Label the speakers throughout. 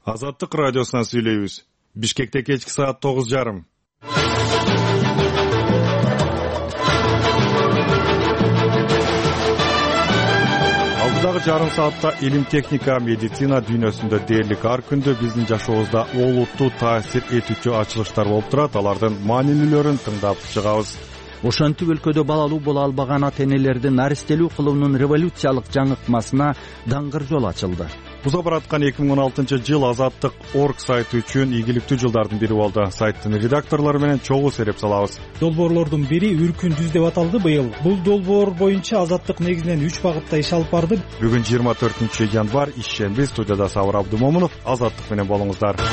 Speaker 1: Азаттык радиосунан сүйлөйбүз. Бишкекте кечки саат 9:30. Алдыдагы жарым саатта илим, техника, медицина дүйнөсүндө дээрлик ар күндө биздин жашообузда олуттуу таасир этүүчү ачылыштар болуп турат. Алардын маанилүүлөрүн тыңдап чыгабыз.
Speaker 2: Ошентип өлкөдө балалуу боло албаган ата-энелердин наристелүү кылуунун революциялык жаңыртмасына даңгыр жол ачылды.
Speaker 1: Уза бараткан 2016-жыл Азаттык.org сайты үчүн ийгиликтүү жылдардын бири болду. Сайттын редакторлору менен чогуу сереп салабыз.
Speaker 3: Долбоорлордун бири Үркүн жүз деп аталды быйыл. Бул долбоор боюнча Азаттык негизинен 3 багытта иш алып барды.
Speaker 1: Бүгүн 24-январь, ишемби. Студияда Сабыр Абдумомунов. Азаттык менен болуңуздар.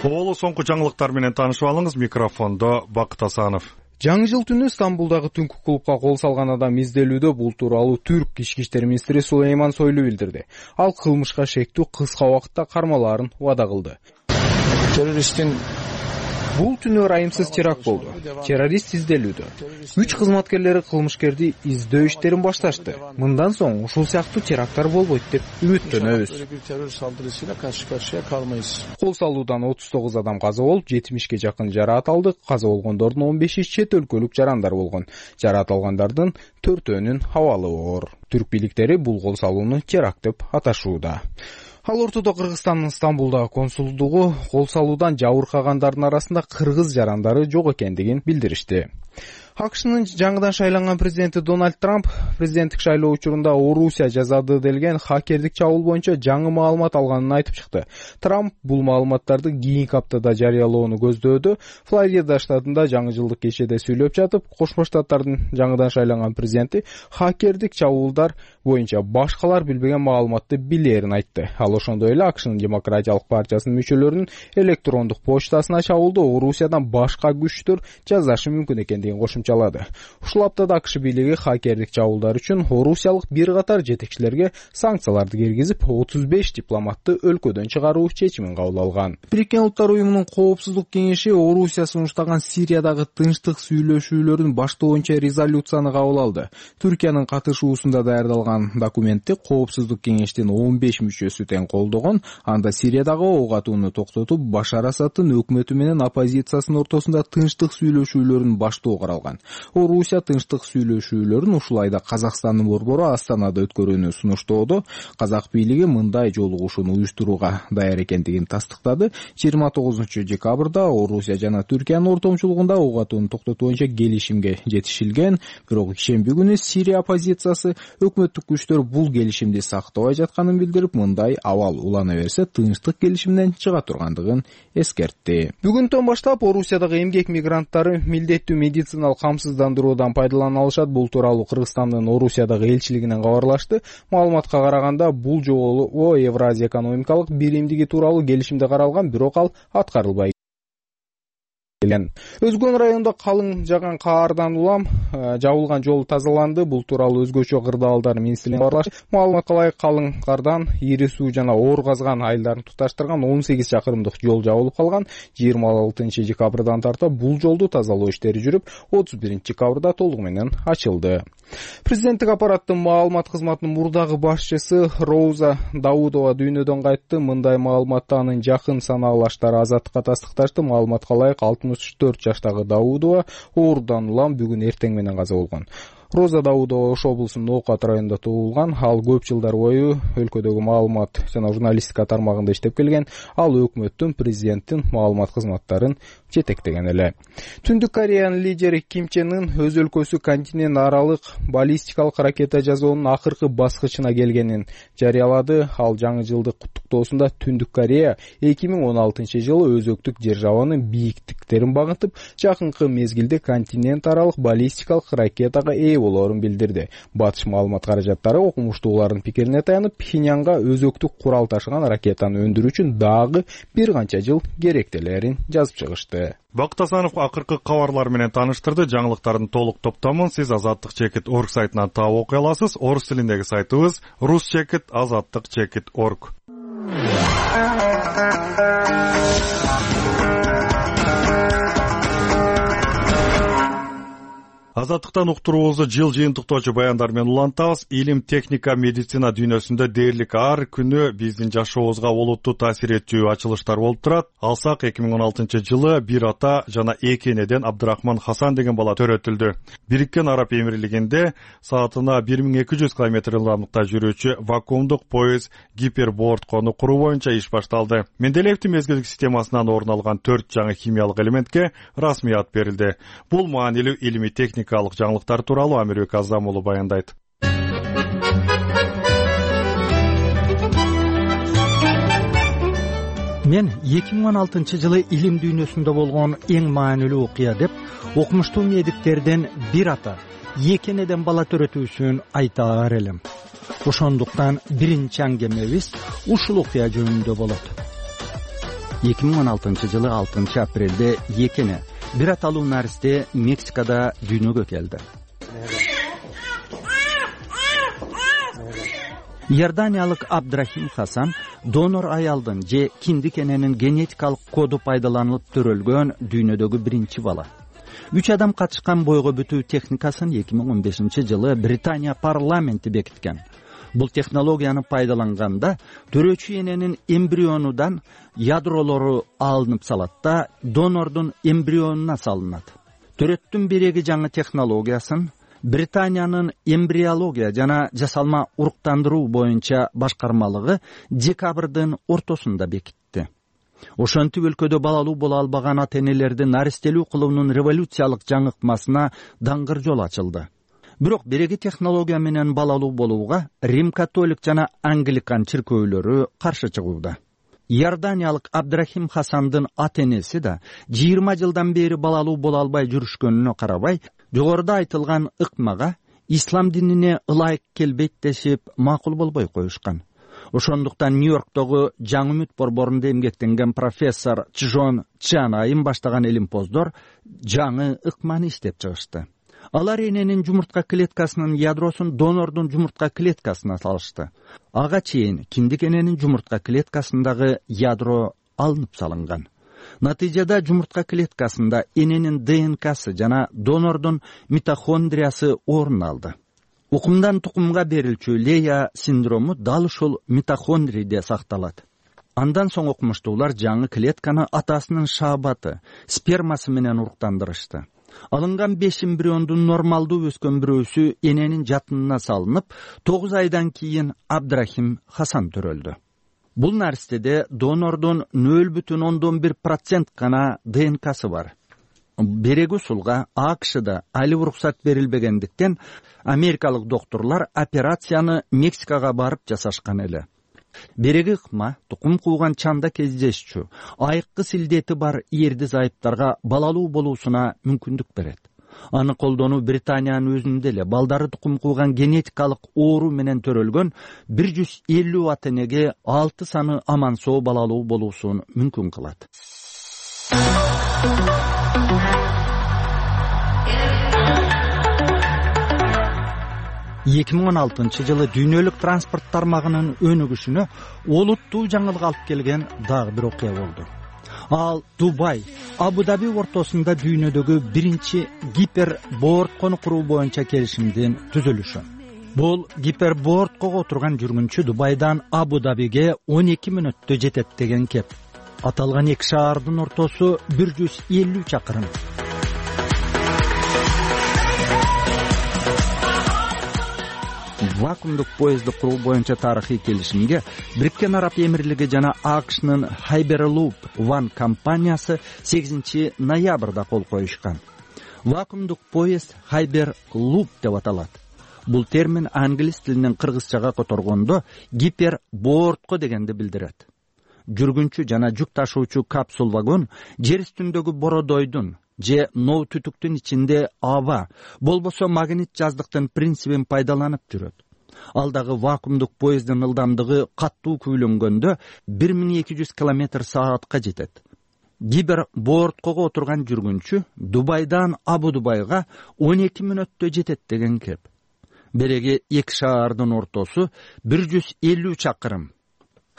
Speaker 1: Болу соңку жаңылыктар менен таанышып алыңыз. Микрофондо Бакыт Асанов.
Speaker 4: Жаңы жыл түнү Стамбулдагы түнкү клубка кол салган адам изделүүдө. Бул тууралуу Түрк ички иштер министри Сулейман Сойлу билдирди. Ал кылмышка шектүү кыска убакытта кармалаарын убада кылды.
Speaker 5: Террористтин
Speaker 4: Бул түнү ырайымсыз теракт болду. Террорист изделүүдө. 3 кызматкерлери кылмышкерди издөө иштерин башташты. Мындан соң ушул сыяктуу теракттар болбойт деп үмүттөнөбүз. Кол салуудан 39 адам каза болуп, 70ке жакын жараат алды. Каза болгондордун 15-и чет өлкөлүк жарандар болгон. Жараат алгандардын 4-өөнүн абалы оор. Түрк бийликтери бул кол салууну теракт деп аташууда. Ал ортодо Кыргызстандын Стамбулдагы консулдугу кол салуудан жабыркагандардын арасында кыргыз жарандары жок экендигин билдиришти. АКШнын жаңыдан шайланган президенти Дональд Трамп президенттик шайлоо учурунда Орусия жазады делген хакердик чабуул боюнча жаңы маалымат алганын айтып чыкты. Трамп бул маалыматтарды кийинки аптада жарыялоону көздөөдө. Флорида штатында жаңы жылдык кечеде сүйлөп жатып, Кошмо Штаттардын жаңыдан шайланган президенти хакердик чабуулдар боюнча башкалар билбеген маалыматты билерин айтты. Ал ошондой эле АКШнын Демократиялык партиясынын мүчөлөрүнүн электрондук почтасына чабуулду Орусиядан башка күчтөр жасашы мүмкүн экендигин кошумчалады. Ушул аптада АКШ бийлиги хакердик чабуулдар үчүн орусиялык бир катар жетекчилерге санкцияларды киргизип, 35 дипломатты өлкөдөн чыгаруу чечимин кабыл алган. Бириккен Улуттар уюмунун коопсуздук кеңеши Орусия сунуштаган Сириядагы тынчтык сүйлөшүүлөрүн баштоо боюнча резолюцияны кабыл алды. Түркиянын катышуусунда даярдалган документти коопсуздук кеңештин 15 мүчөсү тең колдогон. Анда Сириядагы ок атууну токтотуп, Башар Асадтын өкмөтү менен оппозициясынын ортосунда тынчтык сүйлөшүүлөрүн баштоо каралган. Орусия тынчтык сүйлөшүүлөрүн ушул айда Казакстандын борбору Астанада өткөрүүнү сунуштоодо. Казак бийлиги мындай жолугушууну уюштурууга даяр экендигин тастыктады. 29-декабрда Орусия жана Түркиянын ортомчулугунда ок атууну токтотуу боюнча келишимге жетишилген. Бирок ишемби күнү Сирия оппозициясы өкмөттүк күчтөр бул келишимди сактабай жатканын билдирип, мындай абал улана берсе тынчтык келишимден чыга тургандыгын эскертти. Бүгүндөн баштап Орусиядагы эмгек мигранттары милдеттүү медициналык камсыздандыруудан пайдалана алышат. Бул тууралуу Кыргызстандын Орусиядагы элчилигинен кабарлашты. Маалыматка караганда, бул жолу Евразия экономикалык биримдиги тууралуу келишимде каралган, бирок ал аткарылбай. Өзгөн районунда калың жаган каардан улам жабылган жол тазаланды. Бул тууралуу өзгөчө кырдаалдар министрлигинен кабарлашты. Маалыматка ылайык калың кардан ири суу жана оор казган айылдарын туташтырган 18 чакырымдык жол жабылып калган. 26-декабрдан тарта бул жолду тазалоо иштери жүрүп, 31-декабрда толугу менен ачылды. Президенттик аппараттын маалымат кызматынын мурдагы башчысы Роза Даудова дүйнөдөн кайтты. Мындай маалыматты анын жакын санаалаштары Азаттыкка тастыкташты. Маалыматка ылайык 64 жаштагы Даудова оорудан улам бүгүн эртең менен каза болгон. Роза Даудова Ош облусунун Ноокат районунда туулган. Ал көп жылдар бою өлкөдөгү маалымат жана журналистика тармагында иштеп келген. Ал өкмөттүн, президенттин маалымат кызматтарын жетектеген эле. Түндүк Кореянын лидери Ким Чен Ын өз өлкөсү континент аралык баллистикалык ракета жасоонун акыркы баскычына келгенин жарыялады. Ал жаңы жылдык куттуктоосунда Түндүк Корея 2016-жылы өзөктүк державанын бийиктиктерин багынтып, жакынкы мезгилде континент аралык баллистикалык ракетага болоорун билдирди. Батыш маалымат каражаттары окумуштуулардын пикирине таянып, Пхеньянга өзөктүк курал ташыган ракетаны өндүрүү үчүн дагы бир канча жыл керектелерин жазып чыгышты.
Speaker 1: Бакыт Асанов акыркы кабарлар менен тааныштырды. Жаңылыктардын толук топтомун сиз Азаттык.org сайтынан таап окуй аласыз. Орус тилиндеги сайтыбыз rus.azаттыk.org. Азаттыктан уктуруубузду жыл жыйынтыктоочу баяндар менен улантабыз. Илим, техника, медицина дүйнөсүндө дээрлик ар күнү биздин жашообузга олуттуу таасир этчү ачылыштар болуп турат. Алсак 2016-жылы бир ата жана 2 энеден Абдрахман Хасан деген бала төрөтүлдү. Бириккен Араб Эмирлигинде саатына 1200 км ылдамдыкта жүрүүчү вакуумдук поезд гиперборд-кону куруу боюнча иш башталды. Менделеевдин мезгилдик системасынан орун алган 4 жаңы химиялык элементке расмият берилди. Бул маанилүү илимий техникалык жаңылыктар тууралуу Амирбек Азам уулу баяндайт.
Speaker 2: Мен 2016-жылы илим дүйнөсүндө болгон эң маанилүү окуя деп окумуштуу медиктерден бир ата 2 энеден бала төрөтүүсүн айтаар элем. Ошондуктан биринчи аңгемебиз ушул окуя жөнүндө болот. 2016-жылы 6 апрелде 2 эне бир аталуу наристе Мексикада дүйнөгө келди. Иорданиялык Абдрахим Хасан донор аялдын же киндик эненин генетикалык коду пайдаланылып төрөлгөн дүйнөдөгү биринчи бала. 3 адам катышкан бойго бүтүү техникасын 2015-жылы Британия парламенти бекиткен. Бул технологияны пайдаланганда төрөөчү эненин эмбрионудан ядролору алынып салат да донордун эмбрионуна салынат. Төрөттүн биреги жаңы технологиясын Британиянын эмбриология жана жасалма уруктандыруу боюнча башкармалыгы декабрдын ортосунда бекитти. Ошентип өлкөдө балалуу боло албаган ата-энелердин наристелүү кылуунун революциялык жаңыкмасына даңгыр жол ачылды. Бирок биреги технология менен балалуу болууга Рим-католик жана Англикан чиркөөлөрү каршы чыгууда. Иорданиялык Абдрахим Хасандын ата-энеси да 20 жылдан бери балалуу боло албай жүрүшкөнүнө карабай, жогоруда айтылган ыкмага ислам динине ылайык келбейт дешип макул болбой коюшкан. Ошондуктан Нью-Йорктогу Жаңы үмүт борборунда эмгектенген профессор Чжон Чан айым баштаган элимпоздор жаңы ыкманы иштеп чыгышты. Алар эненин жумуртка клеткасынын ядросун донордун жумуртка клеткасына салышты. Ага чейин киндик эненин жумуртка клеткасындагы ядро алынып салынган. Натыйжада жумуртка клеткасында эненин ДНКсы жана донордун митохондриясы орун алды. Укумдан тукумга берилчү Лея синдрому дал ушул митохондриде сакталат. Андан соң окумуштуулар жаңы клетканы атасынын шаабаты, спермасы менен уруктандырышты. Алынган 5 эмбриондун нормалдуу өскөн бирөөсү эненин жатынына салынып, 9 айдан кийин Абдрахим Хасан төрөлдү. Бул наристеде донордун 0,1% гана ДНКсы бар. Береги усулга АКШда али уруксат берилбегендиктен америкалык докторлор операцияны Мексикага барып жасашкан эле. Береги ыкма тукум кууган чанда кездешчү, айыккы силдети бар эрди зайыптарга балалуу болуусуна мүмкүндүк берет. Аны колдонуу Британиянын өзүндө эле балдары тукум кууган генетикалык оору менен төрөлгөн 150 ата-энеге 6 саны аман соо балалуу болуусун мүмкүн кылат. 2016-жылы дүйнөлүк транспорт тармагынын өнүгүшүнө олуттуу жаңылык алып келген дагы бир окуя болду. Ал Дубай, Абу-Даби ортосунда дүйнөдөгү биринчи гиперборд-кону куруу боюнча келишимдин түзүлүшү. Бул гипербордко отурган жүргүнчү Дубайдан Абу-Дабиге 12 мүнөттө жетет деген кеп. Аталган эки шаардын ортосу 150 чакырым. Вакуумдук поездди куруу боюнча тарыхый келишимге Бириккен Араб Эмирлиги жана АКШнын Hyperloop One компаниясы 8 ноябрда кол коюшкан. Вакуумдук поезд Hyperloop деп аталат. Бул термин англис тилинен кыргызчага которгондо гипербордко дегенди билдирет. Жүргүнчү жана жүк ташуучу капсул вагон жер үстүндөгү бородойдун же ноо түтүктүн ичинде аба, болбосо магнит жаздыктын принцибин пайдаланып жүрөт. Ал дагы вакуумдук поезддин ылдамдыгы каттуу күйлөнгөндө 1200 км/саатка жетет. Гипербордко отурган жүргүнчү Дубайдан Абу-Дубайга 12 мүнөттө жетет деген кеп. Береги эки шаардын ортосу 150 чакырым.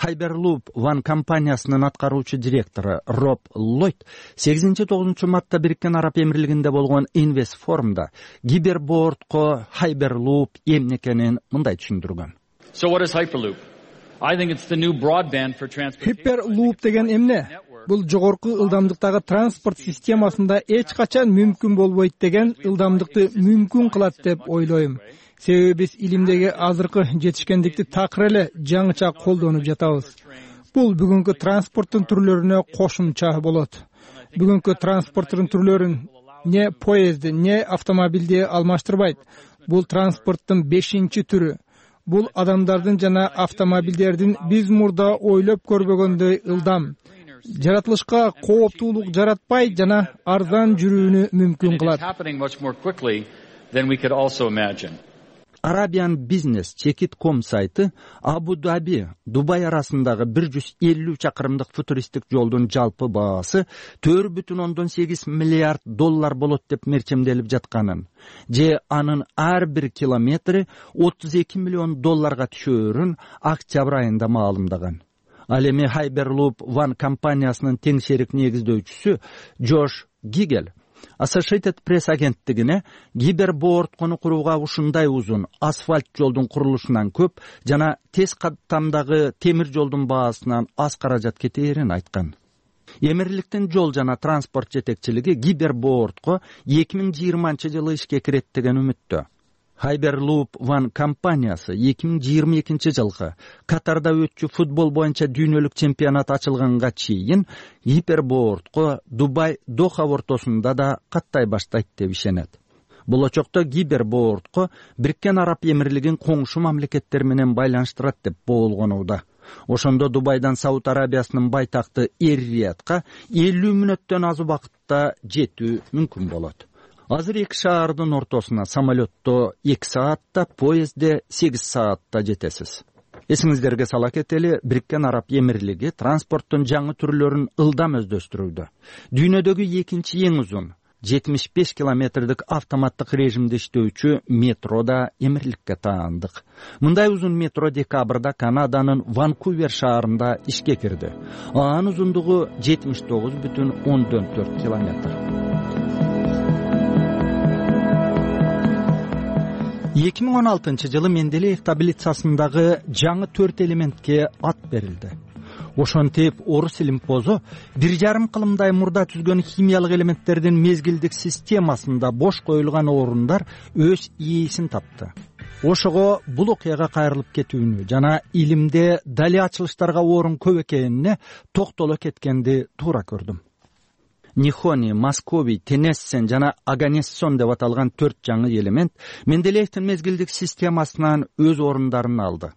Speaker 2: Hyperloop One компаниясынын аткаруучу директору Роб Ллойд 8-9 мартта Бириккен Араб Эмирлигинде болгон Invest форумда гипербордко Hyperloop эмне экенин мындай түшүндүргөн.
Speaker 6: So what is Hyperloop? I think it's the new broadband for transportation.
Speaker 7: Hyperloop деген эмне? Бул жогорку ылдамдыктагы транспорт системасында эч качан мүмкүн болбойт деген ылдамдыкты мүмкүн кылат деп ойлойм. Себеби биз илимдеги азыркы жетишкендикти такыр эле жаңыча колдонуп жатабыз. Бул бүгүнкү транспорттун түрлөрүнө кошумча болот. Бүгүнкү транспорттун түрлөрүн не поезди, не автомобилди алмаштырбайт. Бул транспорттун 5-чи түрү. Бул адамдардын жана автомобилдердин биз мурда ойлоп көрбөгөндөй ылдам. Жаратылышка кооптуулук жаратпай жана арзан жүрүүнү мүмкүн кылат. Arabian Business Check.com сайты Абу-Даби, Дубай арасындагы 150 чакырымдык футуристик жолдун жалпы баасы $4.8 миллиард болот деп мерчемделип жатканын, же анын ар бир километри $32 миллион түшөөрүн октябрь айында маалымдаган. Ал эми Hyperloop One компаниясынын тең шерик негиздөөчүсү Джош Гигел Associated Press агенттигине гипербордкону курууга ушундай узун асфальт жолдун курулушунан көп жана тез каттамдагы темир жолдун баасынан аз каражат кетээрин айткан. Эмирликтин жол жана транспорт жетекчилиги гипербордко 2020-жылы ишке кирет деген үмүттө. Hyperloop One компаниясы 2022 жылгы Катарда өтчү футбол боюнча дүйнөлүк чемпионат ачылганга чейин гипербордко Дубай Доха ортосунда да каттай баштайт деп ишенет. Болочокто гипербордко Бириккен Араб Эмирлигин коңшу мамлекеттер менен байланыштырат деп болгонууда. Ошондо Дубайдан Сауд Арабиясынын байтакты Эр-Риядка 50 мүнөттөн аз убакытта жетүү мүмкүн болот. Азыр эки шаардын ортосуна самолетто 2 саатта, поездде 8 саатта жетесиз. Эсиңиздерге сала кетели, Бириккен Араб Эмирлиги транспорттун жаңы түрлөрүн ылдам өздөштүрүүдө. Дүйнөдөгү экинчи эң узун 75 километрдик автоматтык режимде иштөөчү метро да Эмирликке таандык. Мындай узун метро декабрда Канаданын Ванкувер шаарында ишке кирди. Анын узундугу 79,4 километр. 2016 жылы Менделеев таблицасындагы жаңы 4 элементке ат берилди. Ошентип орус илимпозу 1,5 кылымдай мурда түзгөн химиялык элементтердин мезгилдик системасында бош коюлган орундар өз ээсин тапты. Ошого бул окуяга кайрылып кетүүнү жана илимде дали ачылыштарга орун көп экенине токтоло кеткенди туура көрдүм. Нихони, Московий, Тенессен жана Аганессон деп аталган 4 жаңы элемент Менделеевдин мезгилдик системасынан өз орундарын алды.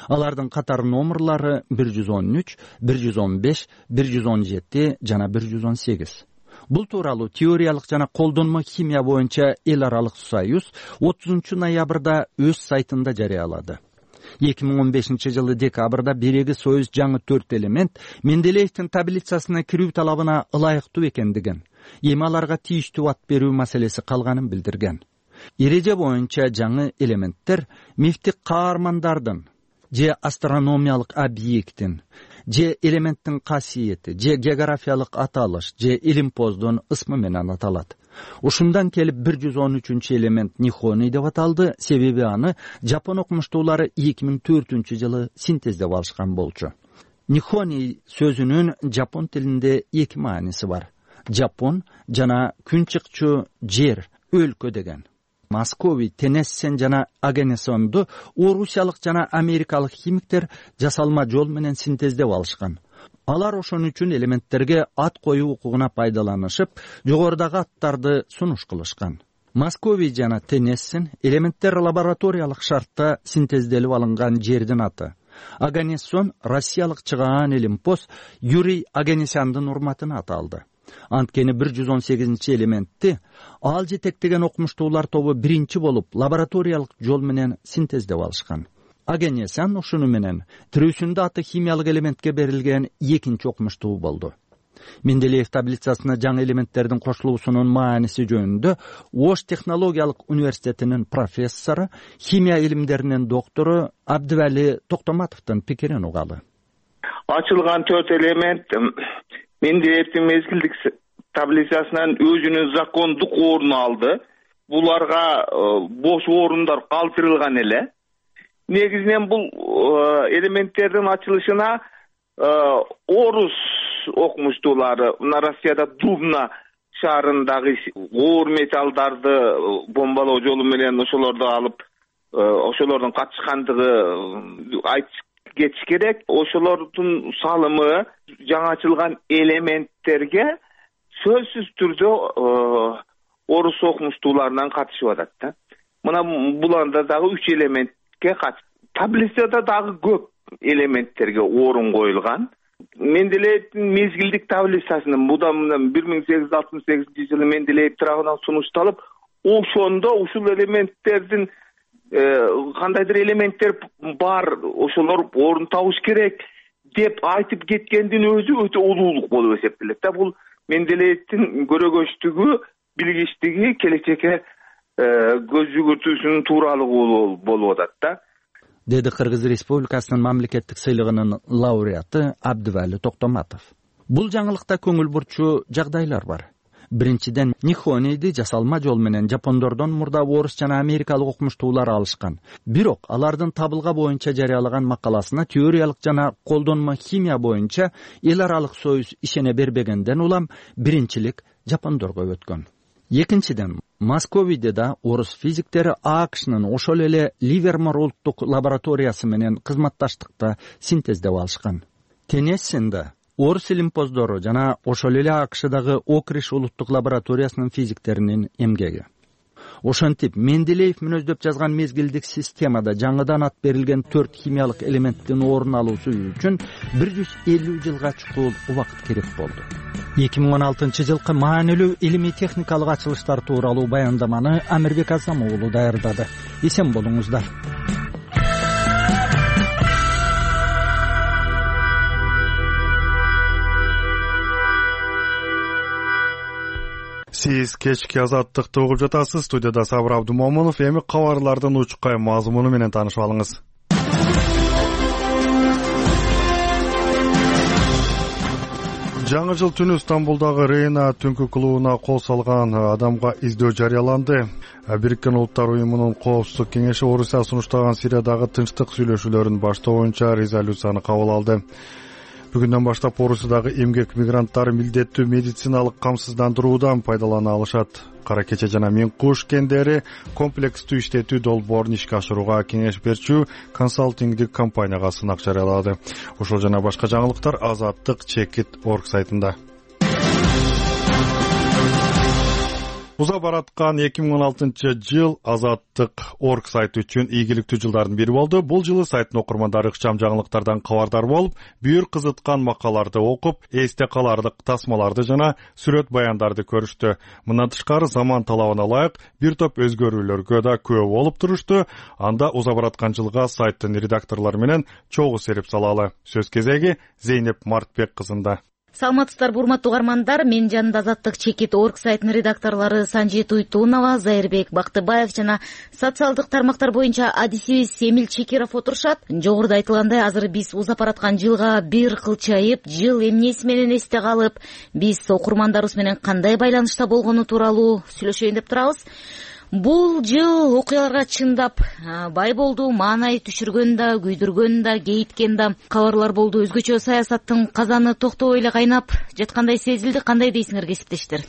Speaker 7: Алардын катар номерлары 113, 115, 117 жана 118. Бул тууралуу теориялык жана колдонмо химия боюнча эл аралык союз 30 ноябрда өз сайтында жарыялады. 2015 жылы декабрда биреги союз жаңы 4 элемент Менделеевдин таблицасына кирүү талабына ылайыктуу экендигин, эми аларга тийиштүү ат берүү маселеси калганын билдирген. Эреже боюнча жаңы элементтер мифтик каармандардын же астрономиялык объекттин, же элементтин касиети, же географиялык аталыш, же илимпоздун ысмы менен аталат. Ушундан келип 113 элемент Нихони деп аталды, себеби аны жапон окумуштуулары 2004 жылы синтездеп алышкан болчу. Нихони сөзүнүн жапон тилинде 2 мааниси бар. Жапон жана күн чыкчу жер, өлкө деген. Московий, Тенессен жана Аганессонду орусиялык жана америкалык химиктер жасалма жол менен синтездеп алышкан. Алар ошон үчүн элементтерге ат коюу укугуна пайдаланышып, жогорудагы аттарды сунуш кылышкан. Московий жана Тенессен элементтер лабораториялык шартта синтезделип алынган жердин аты. Аганессон россиялык чыгаан илимпоз Юрий Аганесяндын урматына аталды. Анткени 118 элементти ал жетектеген окумуштуулар тобу биринчи болуп лабораториялык жол менен синтездеп алышкан. Аганесян ушуну менен тирүүсүндө аты химиялык элементке берилген экинчи окумуштуу болду. Менделеев таблицасына жаңы элементтердин кошулуусунун мааниси жөнүндө Ош технологиялык университетинин профессору, химия илимдеринин доктору Абдывали Токтоматовдун пикирин угалы.
Speaker 8: ачылган 4 элемент Менделеевдин мезгилдик таблицасынан өзүнүн закондук ордун алды. Буларга бош орундар калтырылган эле. Негизинен бул элементтердин ачылышына орус окумуштуулары мына Россияда Дубна шаарындагы оор металлдарды бомбалоо жолу менен ошолорду алып ошолордун катышкандыгы айтып кетиш керек. Ошолордун салымы жаңы ачылган элементтерге сөзсүз түрдө орус окумуштууларынан катышып атат да. Мына буларда дагы 3 элементке таблицада дагы көп элементтерге орун коюлган. Менделеевдин мезгилдик таблицасынын будан 1868-жылы Менделеев тарабынан сунушталып, ошондо ушул элементтердин кандайдыр элементтер бар, ошолор орун табыш керек деп айтып кеткендин өзү өтө улуулук болуп эсептелет да. Бул Менделеевдин көрөгөчтүгү, билгичтиги, келечекке көз жүгүртүүсүнүн тууралыгы болуп атат да.
Speaker 2: Деди Кыргыз Республикасынын мамлекеттик сыйлыгынын лауреаты Абдывали Токтоматов. Бул жаңылыкта көңүл бурчу жагдайлар бар. Биринчиден, Нихонейди жасалма жол менен жапондордон мурда орус жана америкалык окумуштуулар алышкан. Бирок алардын табылга боюнча жарыялаган макаласына теориялык жана колдонмо химия боюнча эл аралык союз ишене бербегенден улам биринчилик жапондорго өткөн. Экинчиден, Московийде да орус физиктери АКШнын ошол эле Ливермор улуттук лабораториясы менен кызматташтыкта синтездеп алышкан. Теннессинде орус илимпоздору жана ошол эле АКШдагы Окриш улуттук лабораториясынын физиктеринин эмгеги. Ошентип, Менделеев мүнөздөп жазган мезгилдик системада жаңыдан ат берилген 4 химиялык элементтин орун алуусу үчүн 150 жылга чукул убакыт керек болду.
Speaker 7: 2016-жылкы маанилүү илимий техникалык ачылыштар тууралуу баяндаманы Амирбек Азам уулу даярдады. Эсен болуңуздар.
Speaker 1: Сиз кечки азаттыкты угуп жатасыз. Студияда Сабыр Абдумомунов. Эми кабарлардын учкай мазмуну менен таанышып алыңыз. Жаңы жыл түнү Стамбулдагы Рейна түнкү клубуна кол салган адамга издөө жарыяланды. Бириккен Улуттар уюмунун коопсуздук кеңеши Орусия сунуштаган Сириядагы тынчтык сүйлөшүүлөрүн баштоо боюнча резолюцияны кабыл алды. Бүгүндөн баштап Орусиядагы эмгек мигранттары милдеттүү медициналык камсыздандыруудан пайдалана алышат. Кара кече жана Мен куш кендери комплекстүү иштетүү долбоорун ишке ашырууга кеңеш берчү консалтингдик компанияга сынак жарыялады. Ошол жана башка жаңылыктар Азаттык.org сайтында. Уза бараткан 2016 Азаттык.org сайты үчүн ийгиликтүү жылдардын бири болду. Бул жылы сайттын окурмандары ыкчам жаңылыктардан кабардар болуп, бүйүр кызыткан макаларды окуп, эсте каларлык тасмаларды жана сүрөт баяндарды көрүштү. Мындан тышкары заман талабына ылайык бир топ өзгөрүүлөргө да күбө болуп турушту. Анда уза бараткан жылга сайттын редакторлору менен чогуу серип салалы. Сөз кезеги Зейнеп Мартбек кызында.
Speaker 9: Саламатсыздар, урматтуу угармандар. Мен жанында Азаттык.org сайтынын редакторлору Санжи Туйтунова, Зайырбек Бактыбаев жана социалдык тармактар боюнча адисибиз Эмил Чекиров отурушат. Жогоруда айтылгандай, азыр биз узап бараткан жылга бир кылчайып, жыл эмнеси менен эсте калып, биз окурмандарыбыз менен кандай байланышта болгону тууралуу сүйлөшөйүн деп турабыз. Бул жыл окуяларга чындап бай болду, маанай түшүргөн да, күйдүргөн да, кейиткен да кабарлар болду. Өзгөчө саясаттын казаны токтобой эле кайнап жаткандай сезилди. Кандай дейсиңер, кесиптештер?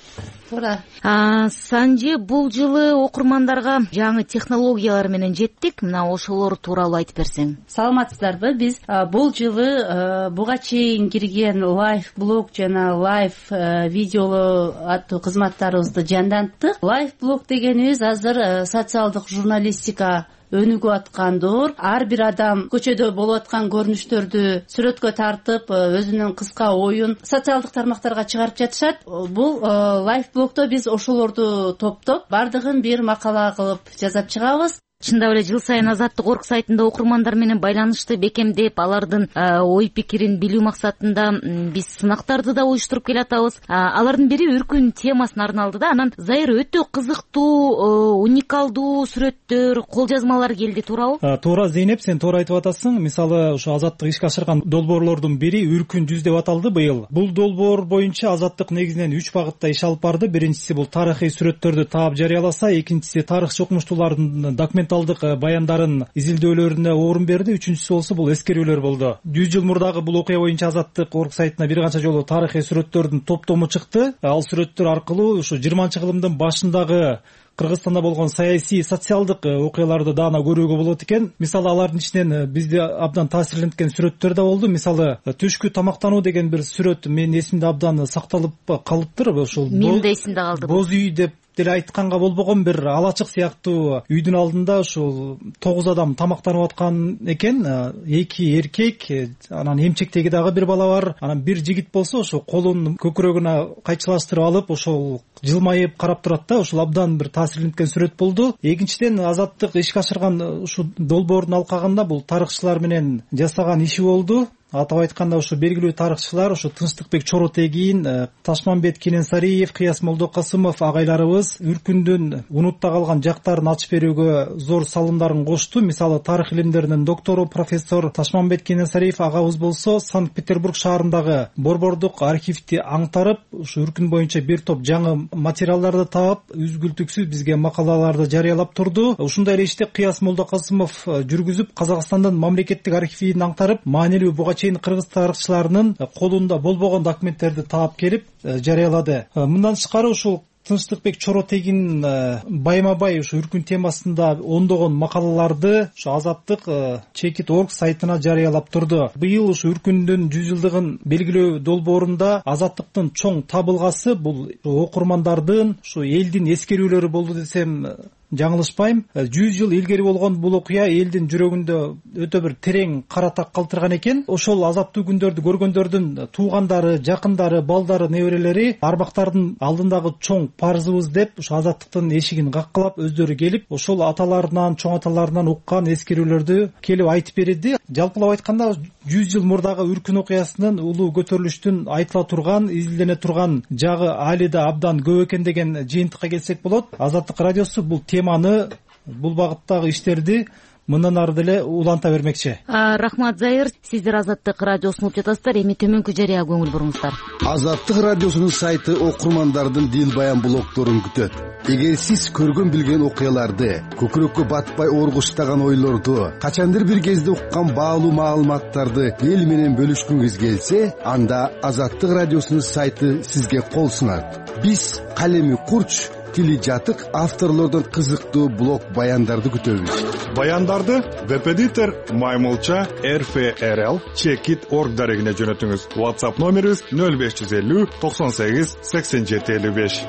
Speaker 10: Туура.
Speaker 9: Санжи, бул жылы окурмандарга жаңы технологиялар менен жеттик. Мына ошолор тууралуу айтып берсең.
Speaker 10: Саламатсыздарбы? Биз бул жылы буга чейин кирген лайф блог жана лайф видеолу аттуу кызматтарыбызды жанданттык. Лайф блог дегенибиз азыр социалдык журналистика өнүгүп аткандыр. Ар бир адам көчөдө болуп аткан көрүнүштөрдү сүрөткө тартып, өзүнүн кыска оюн социалдык тармактарга чыгарып жатышат. Бул лайф блогдо биз ошолорду топтоп, бардыгын бир макала кылып жазап чыгабыз.
Speaker 9: чындап эле жыл сайын Азаттык орг сайтында окурмандар менен байланышты бекемдеп, алардын ой пикирин билүү максатында биз сынактарды да уюштуруп келатабыз. Алардын бири үркүн темасына арналды да. Анан Зайыр, өтө кызыктуу, уникалдуу сүрөттөр, кол жазмалар келди, туурабы?
Speaker 3: Туура Зейнеп, сен туура айтып атасың. Мисалы ошо Азаттык ишке ашырган долбоорлордун бири Үркүн жүз деп аталды быйыл. Бул долбоор боюнча Азаттык негизинен 3 багытта иш алып барды. Биринчиси бул тарыхый сүрөттөрдү таап жарыяласа, экинчиси тарыхчы окумуштуулардын документалдык баяндарын изилдөөлөрүнө орун берди, үчүнчүсү болсо бул эскерүүлөр болду. 100 жыл мурдагы бул окуя боюнча Азаттык орг сайтына бир канча жолу тарыхый сүрөттөрдүн топтому чыкты. Ал сүрөттөр аркылуу ушу 20-кылымдын башындагы Кыргызстанда болгон саясий, социалдык окуяларды даана көрүүгө болот экен. Мисалы алардын ичинен бизди абдан таасирленткен сүрөттөр да болду. Мисалы түшкү тамактануу деген бир сүрөт менин эсимде абдан сакталып калыптыр. Ошол
Speaker 9: менин да эсимде калды.
Speaker 3: Боз үй деп деле айтканга болбогон бир алачык сыяктуу үйдүн алдында ушул 9 адам тамактанып аткан экен. 2 эркек, анан эмчектеги дагы бир бала бар. Анан бир жигит болсо ошо колун көкүрөгүнө кайчылаштырып алып, ошол жылмайып карап турат да. Ошол абдан бир таасирленткен сүрөт болду. Экинчиден, Азаттык ишке ашырган ушул долбоордун алкагында бул тарыхчылар менен жасаган иши болду. Атап айтканда ушу белгилүү тарыхчылар, ушу Тынчтыкбек Чоротегин, Ташмамбет Кененсариев, Кыяс Молдокасымов агайларыбыз Үркүндүн унутта калган жактарын ачып берүүгө зор салымдарын кошту. Мисалы, тарых илимдеринин доктору профессор Ташмамбет Кененсариев агабыз болсо Санкт-Петербург шаарындагы борбордук архивди аңтарып, ушу Үркүн боюнча бир топ жаңы материалдарды таап, үзгүлтүксүз бизге макалаларды жарыялап турду. Ушундай эле ишти Кыяс Молдокасымов жүргүзүп, Казакстандын мамлекеттик архивин аңтарып, маанилүү буга кыргыз тарыхчыларынын колунда болбогон документтерди таап келип жарыялады. Мындан тышкары ушул Тынчтыкбек Чоротегин байма-бай ушу Үркүн темасында ондогон макалаларды ушу Азаттык чекит орг сайтына жарыялап турду. Быйыл ушу Үркүндүн 100 жылдыгын белгилөө долбоорунда Азаттыктын чоң табылгасы бул окурмандардын, ушу элдин эскерүүлөрү болду десем жаңылышпайм. 100 жыл илгери болгон бул окуя элдин жүрөгүндө өтө бир терең кара так калтырган экен. Ошол азаптуу күндөрдү көргөндөрдүн туугандары, жакындары, балдары, неберелери арбактардын алдындагы чоң парзыбыз деп ушу Азаттыктын эшигин каккылап өздөрү келип, ошол аталарынан, чоң аталарынан уккан эскерүүлөрдү келип айтып берди. Жалпылап айтканда 100 жыл мурдагы Үркүн окуясынын улуу көтөрүлүштүн айтыла турган, изилдене турган жагы али да абдан көп экен деген жыйынтыкка келсек болот. Азаттык радиосу бул теманы, бул багыттагы иштерди мындан ары деле уланта бермекчи.
Speaker 9: Рахмат, Зайыр. Сиздер Азаттык радиосун угуп жатасыздар. Эми төмөнкү жарыя көңүл буруңуздар.
Speaker 11: Азаттык радиосунун сайты окурмандардын дил баян блогдорун күтөт. Эгер сиз көргөн билген окуяларды, көкүрөккө батпай оргуштаган ойлорду, качандыр бир кезде уккан баалуу маалыматтарды эл менен бөлүшкүңүз келсе, анда Азаттык радиосунун сайты сизге кол сунат. Биз калеми курч, тили жатык авторлордон кызыктуу блог баяндарды күтөбүз.
Speaker 1: Баяндарды веб-эдитор Маймылча RFRL Чекит орг дарегине жөнөтүңүз. WhatsApp номерибиз 0550 98 87 55.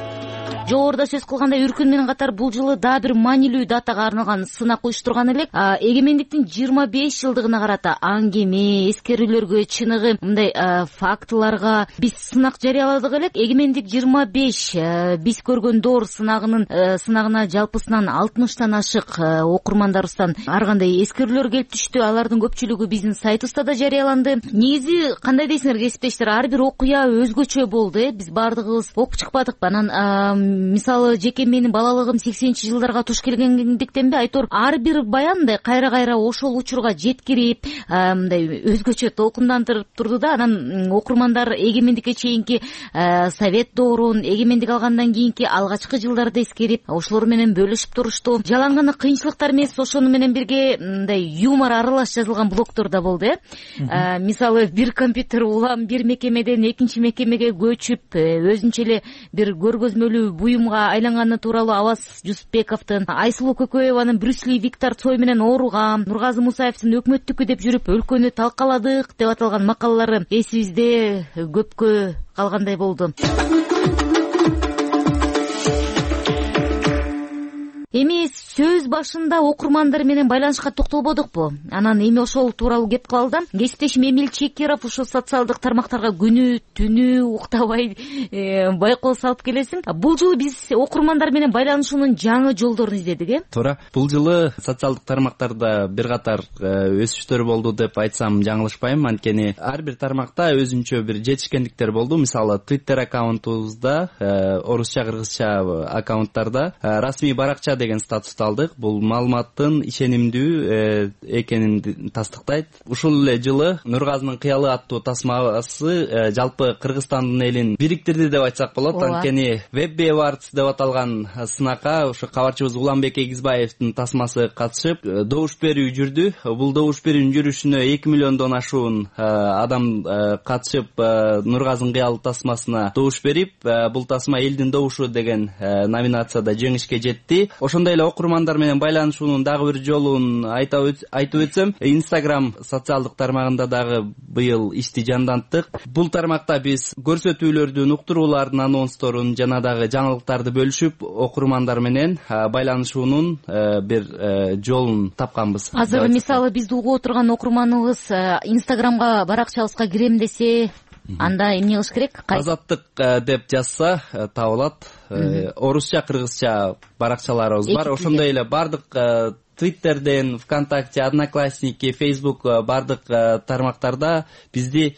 Speaker 9: Жогоруда сөз кылгандай, Үркүн менен катар бул жылы дагы бир маанилүү датага арналган сынак уюштурган элек. Эгемендиктин 25 жылдыгына карата аңгеме, эскерүүлөргө, чыныгы мындай фактыларга биз сынак жарыяладык элек. Эгемендик 25 биз көргөн доор сынагына жалпысынан 60тан ашык окурмандарыбыздан ар кандай эскерүүлөр келип түштү. Алардын көпчүлүгү биздин сайтыбызда да жарыяланды. Негизи кандай дейсиңер кесиптештер, ар бир окуя өзгөчө болду. Биз баардыгыбыз окуп чыкпадык. Анан мисалы жеке менин балалыгым 80-чи жылдарга туш келгендиктенби айтор ар бир баян мындай кайра ошол учурга жеткирип, мындай өзгөчө толкундантырып турду да. Анан окурмандар эгемендикке чейинки совет доорун, эгемендик алгандан кийинки алгачкы жылдарды эскерип, ошолор менен бөлүшүп турушту. Жалаң кыйынчылыктар эмес, ошону менен бирге мындай юмор аралаш жазылган блогдор да болду. Мисалы, бир компьютер улам бир мекемеден экинчи мекемеге көчүп, өзүнчө эле бир көргөзмөлүү буюмга айланганы тууралуу Аваз Жусупбековдун, Айсулуу Көкөеванын Брюс Ли, Виктор Цой менен ооругам, Нургазы Мусаевдин өкмөттүкү деп жүрүп өлкөнү талкаладык деп аталган макалалары эсибизде көпкө калгандай болду. Эми сөз башында окурмандар менен байланышка токтолбодукпу? Анан эми ошол тууралуу кеп кылалы да. Кесиптешим Эмиль Чекеров ушул социалдык тармактарга күнү түнү уктабай байкоо салып келесиң. Бул жолу биз окурмандар менен байланышуунун жаңы жолдорун издедик,
Speaker 12: Туура. Бул жылы социалдык тармактарда бир катар өсүштөр болду деп айтсам жаңылышпайм. Анткени ар бир тармакта өзүнчө бир жетишкендиктер болду. Мисалы Twitter аккаунтубузда, орусча, кыргызча аккаунттарда расмий баракча деген статусту алдык. Бул маалыматтын ишенимдүү экенин тастыктайт. Ушул эле жылы Нургазынын кыялы аттуу тасмасы жалпы Кыргызстандын элин бириктирди деп айтсак болот. Анткени Web Awards деп аталган сынакка ушу кабарчыбыз Уланбек Эгизбаевдин тасмасы катышып, добуш берүү жүрдү. Бул добуш берүүнүн жүрүшүнө 2 миллиондон ашуун адам катышып, Нургазынын кыялы тасмасына добуш берип, бул тасма элдин добушу деген номинацияда жеңишке жетти. Ошондой эле окурмандар менен байланышуунун дагы бир жолун айтып өтсөм, Instagram социалдык тармагында дагы быйыл ишти жанданттык. Бул тармакта биз көрсөтүүлөрдүн, уктуруулардын анонсторун жана дагы жаңылыктарды бөлүшүп, окурмандар менен байланышуунун бир жолун тапканбыз.
Speaker 9: Азыр мисалы бизди угуп отурган окурманыбыз Instagramга баракчабызга кирем десе, анда эмне кылыш керек?
Speaker 12: Азаттык деп жазса табылат. Орусча, кыргызча баракчаларыбыз бар. Ошондой эле бардык Twitterден, ВКонтакте, Одноклассники, Facebook бардык тармактарда бизди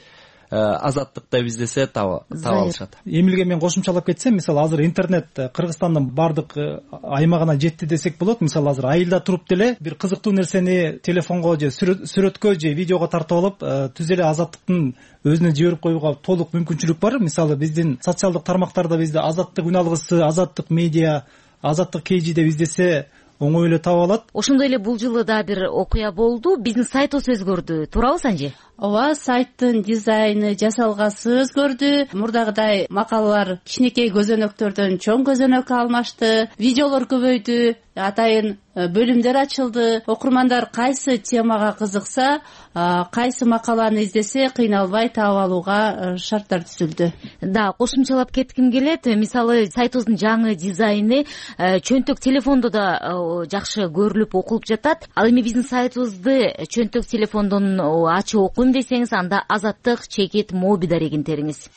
Speaker 12: Азаттык деп издесе таба алышат.
Speaker 3: Эмилге мен кошумчалап кетсем, мисалы азыр интернет Кыргызстандын бардык аймагына жетти десек болот. Мисалы азыр айылда туруп деле бир кызыктуу нерсени телефонго же сүрөткө же видеого тартып алып, түз эле Азаттыктын өзүнө жиберип коюуга толук мүмкүнчүлүк бар. Мисалы биздин социалдык тармактарда бизде Азаттык үн алгысы, Азаттык медиа, Азаттык KG деп издесе оңой эле таба алат.
Speaker 9: Ошондой эле бул жылы да бир окуя болду. Биздин сайтыбыз өзгөрдү. Туурабы Санжи?
Speaker 10: Ооба, сайттын дизайны, жасалгасы өзгөрдү. Мурдагыдай макалалар кичинекей көзөнөктөрдөн чоң көзөнөккө алмашты. Видеолор көбөйдү. Атайын бөлүмдөр ачылды. Окурмандар кайсы темага кызыкса, кайсы макаланы издесе кыйналбай таап алууга шарттар түзүлдү.
Speaker 9: Да, кошумчалап кетким келет. Мисалы сайтыбыздын жаңы дизайны чөнтөк телефондо да жакшы көрүлүп окулуп жатат. Ал эми биздин сайтыбызды чөнтөк телефондон ачып окуйм десеңиз, анда Азаттык чекит моби дарегин териңиз.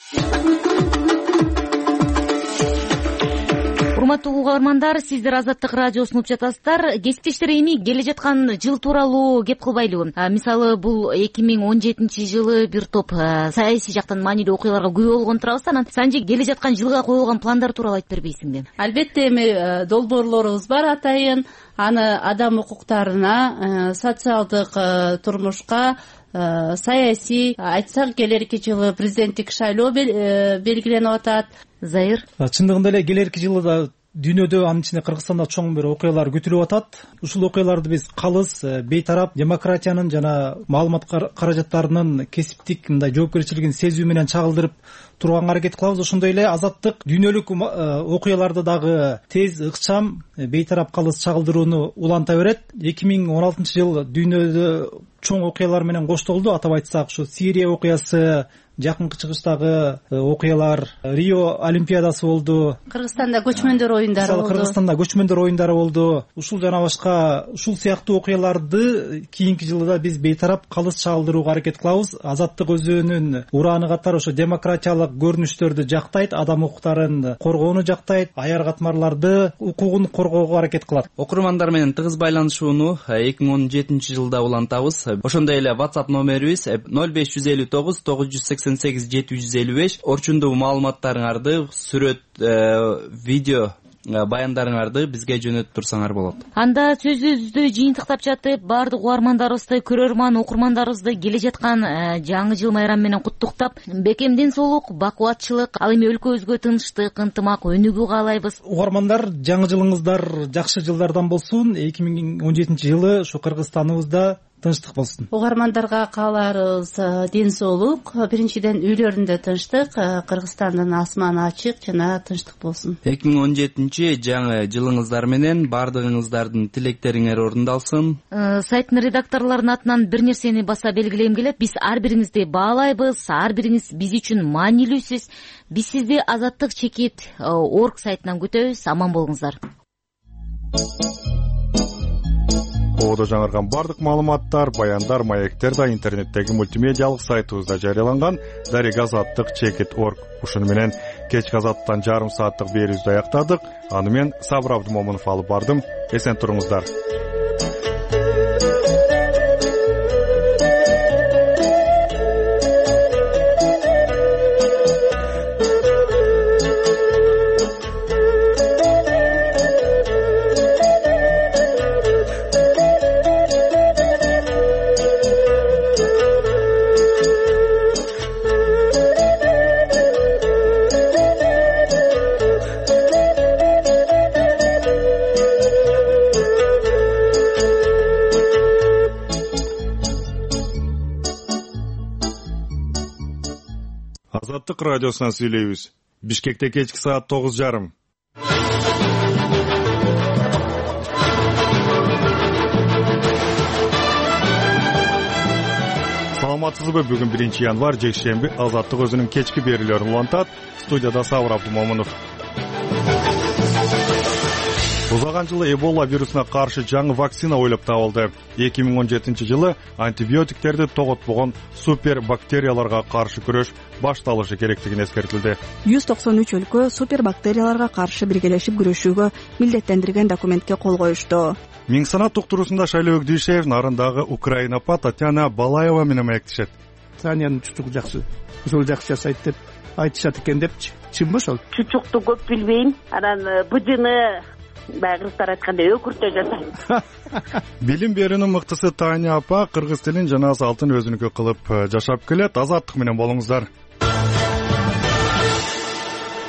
Speaker 9: Урматтуу угармандар, сиздер Азаттык радиосун угуп жатасыздар. Кесиптештер, эми келе жаткан жыл тууралуу кеп кылбайлыбы? Мисалы бул 2017 жылы бир топ саясий жактан маанилүү окуяларга күбө болгон турабыз. Анан Санжи, келе жаткан жылга коюлган пландар тууралуу айтып бербейсиңби?
Speaker 10: Албетте, эми долбоорлорубуз бар атайын. Аны адам укуктарына, социалдык турмушка, саясий, айтсак келерки жылы президенттик шайлоо белгиленип атат.
Speaker 9: Зайыр,
Speaker 3: чындыгында эле келерки жылы да дүйнөдө, анын ичинде Кыргызстанда чоң бир окуялар күтүлүп атат. Ушул окуяларды биз калыс, бейтарап, демократиянын жана маалымат каражаттарынын кесиптик мындай жоопкерчилигин сезүү менен чагылдырып турганга аракет кылабыз. Ошондой эле Азаттык дүйнөлүк окуяларды дагы тез, ыкчам, бейтарап, калыс чагылдырууну уланта берет. 2016 жыл дүйнөдө чоң окуялар менен коштолду. Атап айтсак, ушу Сирия окуясы, жакынкы чыгыштагы окуялар, Рио олимпиадасы болду.
Speaker 10: Кыргызстанда көчмөндөр оюндары болду.
Speaker 3: Кыргызстанда көчмөндөр оюндары болду. Ушул жана башка ушул сыяктуу окуяларды кийинки жылда биз бейтарап, калыс чагылдырууга аракет кылабыз. Азаттык өзүнүн урааны катары ошо демократиялык көрүнүштөрдү жактайт, адам укуктарын коргоону жактайт, аяр катмарларды укугун коргоого аракет кылат.
Speaker 12: Окурмандар менен тыгыз байланышууну 2017 жылда улантабыз. Ошондой эле WhatsApp номерибиз 0559 988 755. Орчундуу маалыматтарыңарды, сүрөт, видео баяндарыңарды бизге жөнөтүп турсаңар болот.
Speaker 9: Анда сөзүбүздү жыйынтыктап жатып, баардык угармандарыбызды, көрөрман окурмандарыбызды келе жаткан жаңы жыл майрамы менен куттуктап, бекемден соолук, бакубатчылык, ал эми өлкөбүзгө тынчтык, ынтымак, өнүгүү каалайбыз.
Speaker 3: Угармандар, жаңы жылыңыздар жакшы жылдардан болсун. 2017 жылы ушу Кыргызстаныбызда тынчтык болсун.
Speaker 10: Угармандарга кааларыбыз ден соолук, биринчиден үйлөрүндө тынчтык, Кыргызстандын асманы ачык жана тынчтык болсун.
Speaker 12: 2017 жаңы жылыңыздар менен баардыгыңыздардын тилектериңер орундалсын.
Speaker 9: Сайттын редакторлорунун атынан бир нерсени баса белгилегим келет. Биз ар бириңизди баалайбыз, ар бириңиз биз үчүн маанилүүсүз. Биз сизди Азаттык чекит org сайтынан күтөбүз. Аман болуңуздар.
Speaker 1: Ободо жаңырган бардык маалыматтар, баяндар, маектер да интернеттеги мультимедиалык сайтыбызда жарыяланган. Дарек азаттык chekit.org. Ушуну менен кечки азаттан жарым сааттык берүүбүздү аяктадык. Аны мен Сабыр Абдымомунов алып бардым. Эсен туруңуздар. Азаттык радиосунан сүйлөйбүз. Бишкекте кечки саат 9:30. Саламатсызбы? Бүгүн 1-январь жекшемби. Азаттык өзүнүн кечки берүүлөрүн улантат. Студияда Сабыр Абдымомунов. Узаган жылы Эбола вирусуна каршы жаңы вакцина ойлоп табылды. 2017-жылы антибиотиктерди тоготпогон супербактерияларга каршы күрөш башталышы керектигин эскертилди.
Speaker 13: 193 өлкө супербактерияларга каршы биргелешип күрөшүүгө милдеттендирген документке кол коюшту.
Speaker 1: Миң санат туктуруусунда Шайлоо Өкдүшев нарындагы Украинапа Татьяна Балаева менен маектешет.
Speaker 5: Таниянын чучугу жакшы, ошол жакшы жасайт деп айтышат экен депчи. Чынбы ошол?
Speaker 14: Чучукту көп билбейм. Анан быжыны баягы кыргыздар айткандай өкүртө жасайм.
Speaker 1: Билим берүүнүн мыктысы Таня апа кыргыз тилин жана салтын өзүнүкү кылып жашап келет. Азаттык менен болуңуздар.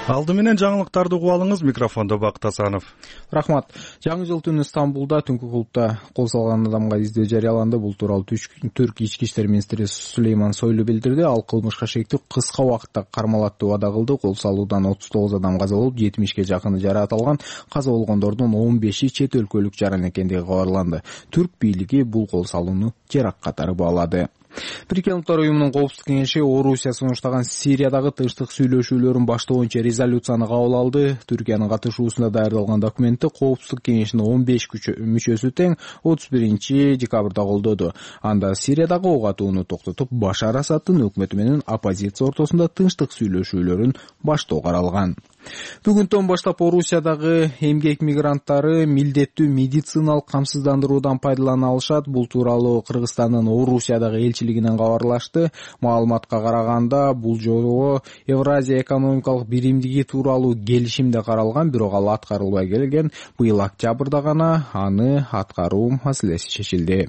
Speaker 1: Алды менен жаңылыктарды угуп алыңыз. Микрофондо Бакыт Асанов.
Speaker 4: Рахмат. Жаңы жыл түнү Стамбулда түнкү клубда кол салган адамга издөө жарыяланды. Бул тууралуу Түрк ички иштер министри Сулейман Сойлу билдирди. Ал кылмышка шектүү кыска убакытта кармалат деп убада кылды. Кол салуудан 39 адам каза болуп, 70ге жакыны жараат алган. Каза болгондордун 15и чет өлкөлүк жаран экендиги кабарланды. Түрк бийлиги бул кол салууну теракт катары баалады. Бириккен Улуттар уюмунун коопсуздук кеңеши Орусия сунуштаган Сириядагы тынчтык сүйлөшүүлөрүн баштоочу резолюцияны кабыл алды. Түркиянын катышуусунда даярдалган документти коопсуздук кеңешинин 15 мүчөсү тең 31 декабрда колдоду. Анда Сириядагы ок атууну токтотуп, Башар Асаддын өкмөтү менен оппозиция ортосунда тынчтык сүйлөшүүлөрүн баштоо каралган. Бүгүндөн баштап Орусиядагы эмгек мигранттары милдеттүү медициналык камсыздандыруудан пайдалана алышат. Бул тууралуу Кыргызстандын Орусиядагы элчилигинен кабарлашты. Маалыматка караганда, бул жолу Евразия экономикалык биримдиги тууралуу келишимде каралган, бирок ал аткарылбай келген. Быйыл октябрда гана аны аткаруу маселеси чечилди.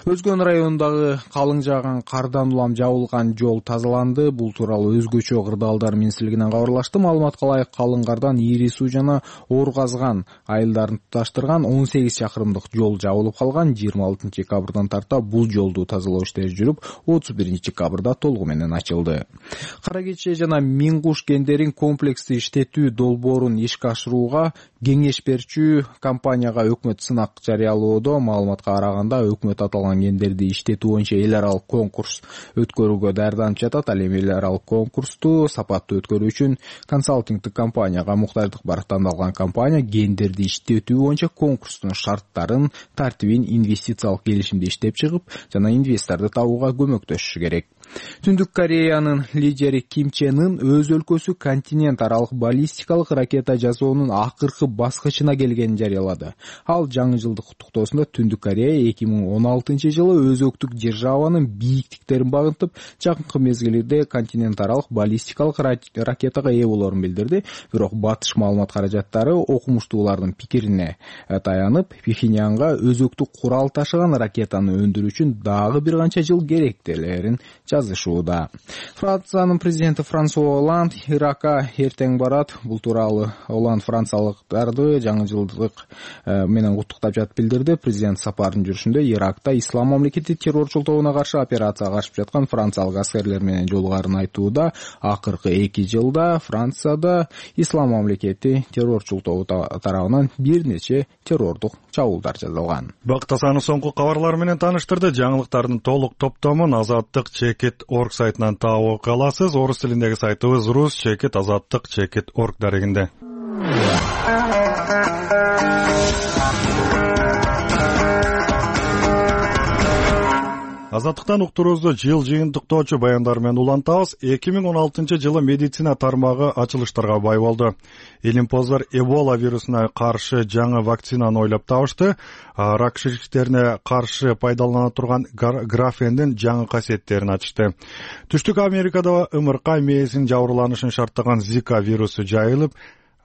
Speaker 4: Өзгөн районундагы калың жааган кардан улам жабылган жол тазаланды. Бул тууралуу өзгөчө кырдаалдар министрлигинен кабарлашты. Маалыматка ылайык калың кардан ири суу жана оор казган айылдарын туташтырган 18 чакырымдык жол жабылып калган. 26 декабрдан тарта бул жолду тазалоо иштери жүрүп, 31 декабрда толугу менен ачылды. Кара кече жана Миң куш гендерин комплекстүү иштетүү долбоорун ишке ашырууга кеңеш берчү компанияга өкмөт сынак жарыялоодо. Маалыматка караганда өкмөт аталган гендерди иштетүү боюнча эл аралык конкурс өткөрүүгө даярданып жатат. Ал эми эл аралык конкурсту сапаттуу өткөрүү үчүн консалтингдик компанияга муктаждык бар. Тандалган компания гендерди иштетүү боюнча конкурстун шарттарын, тартибин, инвестициялык келишимди иштеп чыгып, жана инвесторду табууга көмөктөшүшү керек. Түндүк Кореянын лидери Ким Чен Ын өз өлкөсү континент аралык баллистикалык ракета жасоонун акыркы баскычына келгенин жарыялады. Ал жаңы жылдык куттуктоосунда Түндүк Корея 2016-жылы өзөктүк державанын бийиктиктерин багынтып, жакынкы мезгилде континент аралык баллистикалык ракетага ээ болорун билдирди. Бирок батыш маалымат каражаттары окумуштуулардын пикирине таянып, Пхеньянга өзөктүк курал ташыган ракетаны өндүрүү үчүн дагы бир канча жыл керектелерин жазышууда. Франциянын президенти Франсуа Оланд Иракка эртең барат. Бул тууралуу Оланд франциялыктарды жаңы жылдык менен куттуктап жатып билдирди. Президент сапарынын жүрүшүндө Иракта ислам мамлекети террорчул тобуна каршы операцияга катышып жаткан франциялык аскерлер менен жолугарын айтууда. Акыркы 2 жылда Францияда ислам мамлекети террорчул тобу тарабынан бир нече террордук чабуулдар жасалган.
Speaker 1: Бакыт Асанов соңку кабарлар менен тааныштырды. Жаңылыктардын толук топтомун Азаттык chekit.org сайтынан таап аласыз. Орус тилиндеги сайтыбыз Rus chekit azаттыk chekit.org дарегинде. Азаттыктан уктуруубузду жыл жыйынтыктоочу баяндар менен улантабыз. 2016-жылы медицина тармагы ачылыштарга бай болду. Илимпоздор Эбола вирусуна каршы жаңы вакцинаны ойлоп табышты. Рак шишиктерине каршы пайдалана турган графендин жаңы касиеттерин ачышты. Түштүк Америкада ымыркай мээсин жабырланышын шарттаган Zika вирусу жайылып,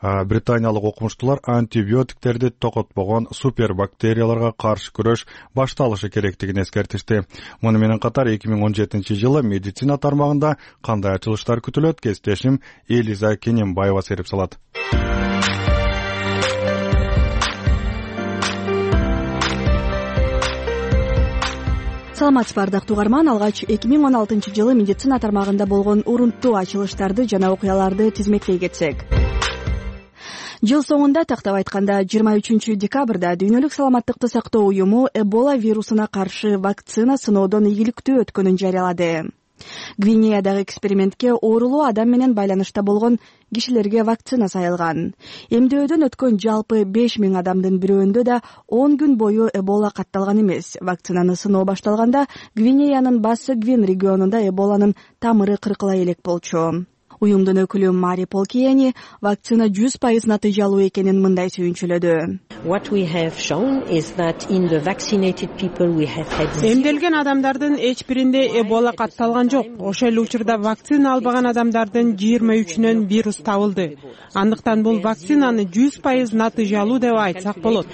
Speaker 1: британиялык окумуштуулар антибиотиктерди токотпогон супербактерияларга каршы күрөш башталышы керектигин эскертишти. Муну менен катар 2017-жылы медицина тармагында кандай ачылыштар күтүлөт? Кесиптешим Элиза Кененбаева серип салат.
Speaker 13: Саламатсызбы ардактуу угарман, алгач 2016-жылы медицина тармагында болгон урунттуу ачылыштарды жана окуяларды тизмектей кетсек. Жыл соңунда, тактап айтканда 23 декабрда Дүйнөлүк саламаттыкты сактоо уюму Эбола вирусуна каршы вакцина сыноодон ийгиликтүү өткөнүн жарыялады. Гвинеядагы экспериментке оорулуу адам менен байланышта болгон кишилерге вакцина сайылган. Эмдөөдөн өткөн жалпы 5000 адамдын бирөөндө да 10 күн бою Эбола катталган эмес. Вакцинаны сыноо башталганда Гвинеянын Бассы Гвин регионунда Эболанын тамыры кыркыла элек болчу. Уюмдун өкүлү Мари Полкиени вакцина 100% натыйжалуу экенин мындай сүйүнчүлөдү.
Speaker 15: Эмделген адамдардын эч биринде Эбола катталган жок. Ошол эле учурда вакцина албаган адамдардын 23-нөн вирус табылды. Андыктан бул вакцинаны 100% натыйжалуу деп айтсак болот.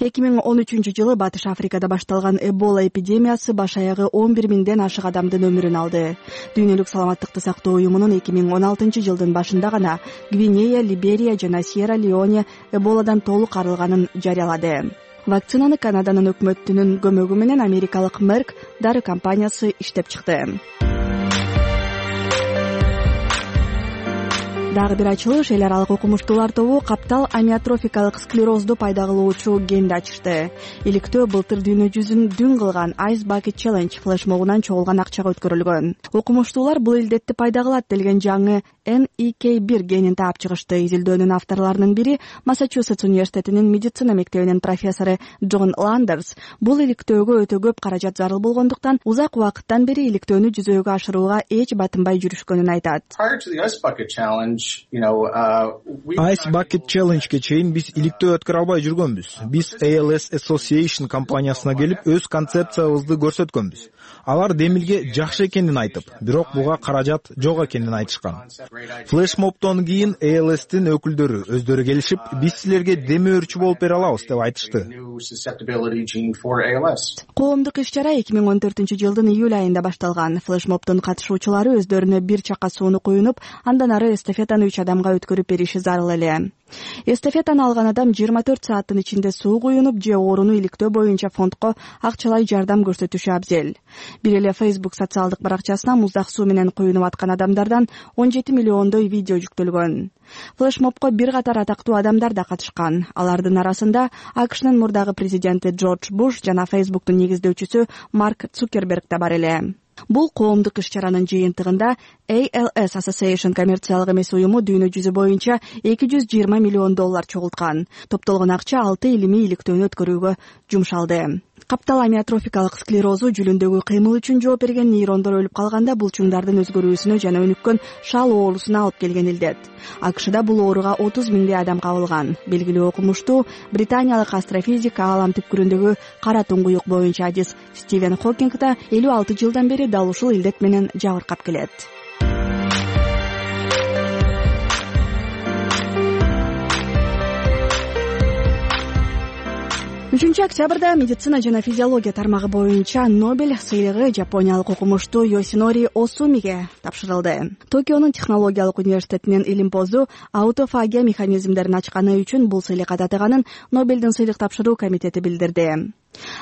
Speaker 13: 2013-жылы Батыш Африкада башталган Эбола эпидемиясы баш аягы 11 миңден ашык адамдын өмүрүн алды. Дүйнөлүк саламаттыкты сактоо уюмунун 2016-жылдын башында гана Гвинея, Либерия жана Сьерра-Леоне Эболадан толук арылганын жарыялады. Вакцинаны Канаданын өкмөтүнүн көмөгү менен америкалык Merck дары компаниясы иштеп чыкты. Дагы бир ачылыш, эл аралык окумуштуулар тобу каптал амиотрофикалык склерозду пайда кылуучу генди ачышты. Иликтөө былтыр дүйнө жүзүн дүн кылган Ice Bucket Challenge флешмобунан чогулган акчага өткөрүлгөн. Окумуштуулар бул илдетти пайда кылат делген жаңы NEK1 генин таап чыгышты. Изилдөөнүн авторлорунун бири Массачусетс университетинин медицина мектебинин профессору Джон Ландерс бул иликтөөгө өтө көп каражат зарыл болгондуктан узак убакыттан бери иликтөөнү жүзөөгө ашырууга эч батынбай жүрүшкөнүн айтат.
Speaker 16: Ice Bucket Challenge'ге чейин биз иликтөө өткөрө албай жүргөнбүз. Биз ALS Association компаниясына келип өз концепциябызды көрсөткөнбүз. Алар демилге жакшы экенин айтып, бирок буга каражат жок экенин айтышкан. Флешмобдон кийин ALS-тин өкүлдөрү өздөрү келишип, биз силерге деме өрчү болуп бере алабыз деп айтышты.
Speaker 13: Коомдук иш-чара 2014-жылдын июль айында башталган. Флешмобдун катышуучулары өздөрүнө бир чака сууну куюнуп, андан ары эстафетаны 3 адамга өткөрүп бериши зарыл эле. Эстафетаны алган адам 24 сааттын ичинде суу куюнуп же ооруну иликтөө боюнча фондко акчалай жардам көрсөтүшү абзел. Бир эле Facebook социалдык баракчасына муздак суу менен куюнуп аткан адамдардан 17 миллиондой видео жүктөлгөн. Флешмобко бир катар атактуу адамдар да катышкан. Алардын арасында АКШнын мурдагы президенти Джордж Буш жана Facebooктун негиздөөчүсү Марк Цукерберг да бар эле. Бул коомдук иш-чаранын жыйынтыгында ALS Association коммерциялык эмес уюму дүйнө жүзү боюнча $220 миллион чогулткан. Топтолгон акча 6 илимий иликтөөнү өткөрүүгө жумшалды. Каптал амиотрофикалык склерозу жүлүндөгү кыймыл үчүн жооп берген нейрондор өлүп калганда булчуңдардын өзгөрүүсүнө жана өнүккөн шал оорусуна алып келген илдет. АКШда бул ооруга 30 миңдей адам кабылган. Белгилүү окумуштуу британиялык астрофизик аалам түпкүрүндөгү кара туңгуюк боюнча адис Стивен Хокинг да 56 жылдан бери дал ушул илдет менен жабыркап келет. 3 октябрда медицина жана физиология тармагы боюнча Нобель сыйлыгы жапониялык окумуштуу Йосинори Осумиге тапшырылды. Токионун технологиялык университетинин илимпозу аутофагия механизмдерин ачканы үчүн бул сыйлыкка татыганын Нобелдин сыйлык тапшыруу комитети билдирди.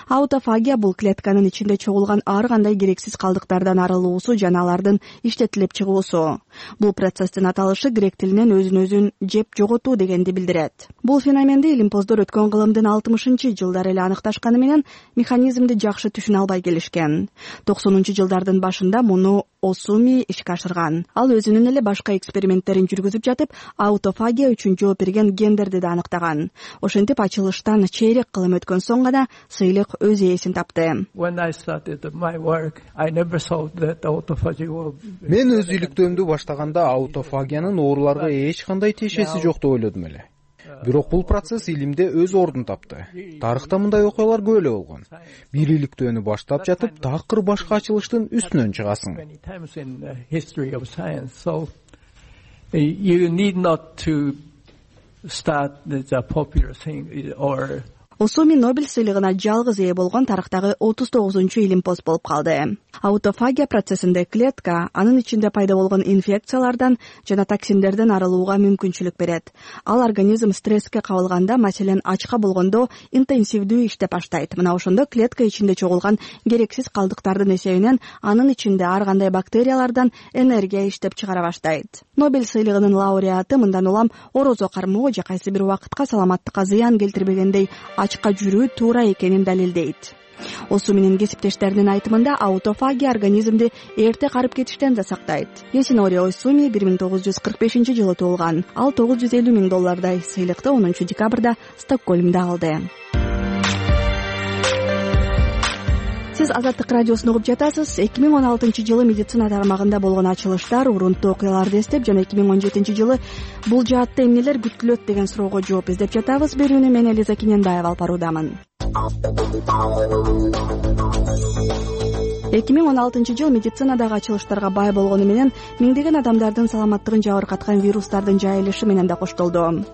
Speaker 13: Аутофагия бул клетканын ичинде чогулган ар кандай керексиз калдыктардан арылуусу жана алардын иштетилип чыгуусу. Бул процесстин аталышы грек тилинен өзүн өзүн жеп жоготуу дегенди билдирет. Бул феноменди илимпоздор өткөн кылымдын 60-жылдары эле аныкташканы менен механизмди жакшы түшүнө албай келишкен. 90-жылдардын башында муну Осуми ишке ашырган. Ал өзүнүн эле башка эксперименттерин жүргүзүп жатып, аутофагия үчүн жооп берген гендерди да аныктаган. Ошентип ачылыштан чейрек кылым өткөн соң гана сыйлык өз ээсин тапты.
Speaker 4: Мен өз иликтөөмдү баштаганда аутофагиянын ооруларга эч кандай тиешеси жок деп ойлодум эле. Бирок бул процесс илимде өз ордун тапты. Тарыхта мындай окуялар көп эле болгон. Бир иликтөөнү баштап жатып, такыр башка ачылыштын үстүнөн чыгасың.
Speaker 13: Осуми Нобель сыйлыгына жалгыз ээ болгон тарыхтагы 39-чу илимпоз болуп калды. Аутофагия процессинде клетка анын ичинде пайда болгон инфекциялардан жана токсиндерден арылууга мүмкүнчүлүк берет. Ал организм стресске кабылганда, маселен, ачка болгондо интенсивдүү иштеп баштайт. Мына ошондо клетка ичинде чогулган керексиз калдыктардын эсебинен анын ичинде ар кандай бактериялардан энергия иштеп чыгара баштайт. Нобель сыйлыгынын лауреаты мындан улам орозо кармоо же кайсы бир убакытка саламаттыкка зыян келтирбегендей ачка жүрүү туура экенин далилдейт. Осуминин кесиптештеринин айтымында аутофагия организмди эрте карып кетиштен да сактайт. Йосинори Осуми 1945-жылы туулган. Ал $950 000 сыйлыкты 10-декабрда Стокгольмдо алды. Сиз Азаттык радиосун угуп жатасыз. 2016-жылы медицина тармагында болгон ачылыштар, урунттуу окуяларды эстеп жана 2017-жылы бул жаатта эмнелер күтүлөт деген суроого жооп издеп жатабыз. Берүүнү мен Элиза Кененбаева алып баруудамын. 2016-жыл медицинадагы ачылыштарга бай болгону менен миңдеген адамдардын саламаттыгын жабыркаткан вирустардын жайылышы менен да коштолду.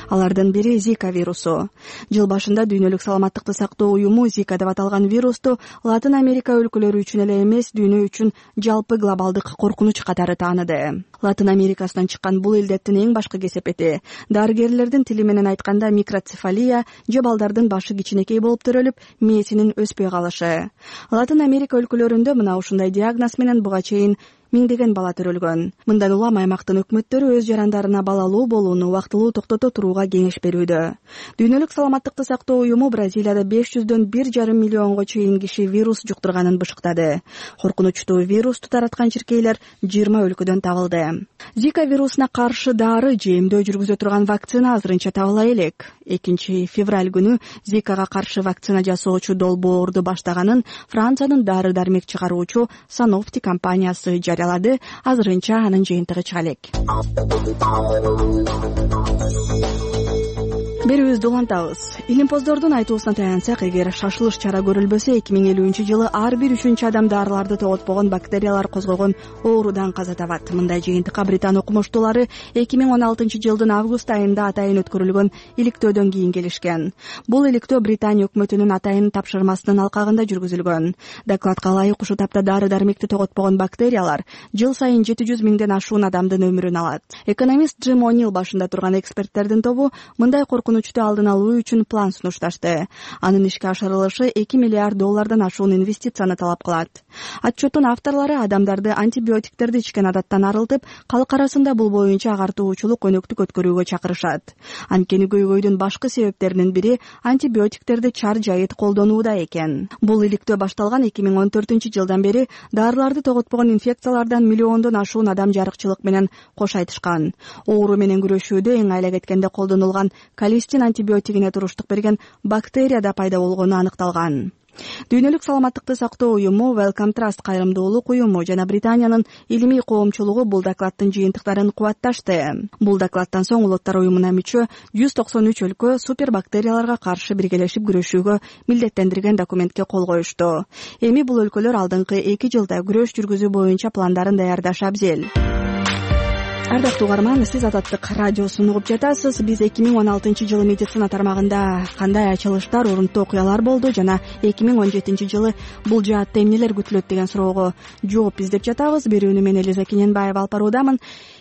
Speaker 13: Алардын бири Зика вирусу. Жыл башында Дүйнөлүк саламаттыкты сактоо уюму Зика деп аталган вирусту Латын Америка өлкөлөрү үчүн эле эмес, дүйнө үчүн жалпы глобалдык коркунуч катары тааныды. Латын Америкасынан чыккан бул илдеттин эң башкы кесепети дарыгерлердин тили менен айтканда микроцефалия же балдардын башы кичинекей болуп төрөлүп, мээсинин өспөй калышы. Латын Америка өлкөлөрүндө мына ушундай диагноз менен буга чейин миңдеген бала төрөлгөн. Мындан улам аймактын өкмөттөрү өз жарандарына балалуу болууну убактылуу токтото турууга кеңеш берүүдө. Дүйнөлүк саламаттыкты сактоо уюму Бразилияда 500дөн 1,5 миллионго чейин киши вирус жуктурганын бышыктады. Коркунучтуу вирусту тараткан чиркейлер 20 өлкөдөн табылды. Зика вирусуна каршы дары же эмдөө жүргүзө турган вакцина азырынча табыла элек. 2 февраль күнү Зикага каршы вакцина жасоочу долбоорду баштаганын Франциянын дары-дармек чыгаруучу Sanofi компаниясы жарыялады. Азырынча анын жыйынтыгы чыга элек. Берүүбүздү улантабыз. Илимпоздордун айтуусуна таянсак, эгер шашылыш чара көрүлбөсө 2050-жылы ар бир 3-чү адам дарыларды тоготпогон бактериялар козгогон оорудан каза табат. Мындай жыйынтыкка Британ окумуштуулары 2016-жылдын август айында атайын өткөрүлгөн иликтөөдөн кийин келишкен. Бул иликтөө Британия өкмөтүнүн атайын тапшырмасынын алкагында жүргүзүлгөн. Докладка ылайык ушул тапта дары-дармекти тоготпогон бактериялар жыл сайын 700 миңден ашуун адамдын өмүрүн алат. Экономист Джим О'Нил башында турган эксперттердин тобу мындай коркунучту алдын алуу үчүн план сунушташты. Анын ишке ашырылышы $2 миллиард ашуун инвестицияны талап кылат. Отчеттун авторлору адамдарды антибиотиктерди ичкен адаттан арылтып, калк арасында бул боюнча агартуучулук өнөктүк өткөрүүгө чакырышат. Анткени көйгөйдүн башкы себептеринин бири антибиотиктерди чар жайыт колдонууда экен. Бул иликтөө башталган 2014-жылдан бери дарыларды тоготпогон инфекциялардан миллиондон ашуун адам жарыкчылык менен кош айтышкан. Оору менен күрөшүүдө эң айла кеткенде колдонулган колистин антибиотигине туруштук берген бактерия да пайда болгону аныкталган. Дүйнөлүк саламаттыкты сактоо уюму, Wellcome Trust кайрымдуулук уюму жана Британиянын илимий коомчулугу бул докладдын жыйынтыктарын кубатташты. Бул докладдан соң улуттар уюмуна мүчө 193 өлкө супербактерияларга каршы биргелешип күрөшүүгө милдеттендирген документке кол коюшту. Эми бул өлкөлөр алдыңкы 2 жылда күрөш жүргүзүү боюнча пландарын даярдашы абзел. Ардактуу угарман, сиз Азаттык радиосун угуп жатасыз. Биз 2016-жылы медицина тармагында кандай ачылыштар, урунттуу окуялар болду жана 2017-жылы бул жаатта эмнелер күтүлөт деген суроого жооп издеп жатабыз. Берүүнү мен Элиза Кененбаева алып баруудамын.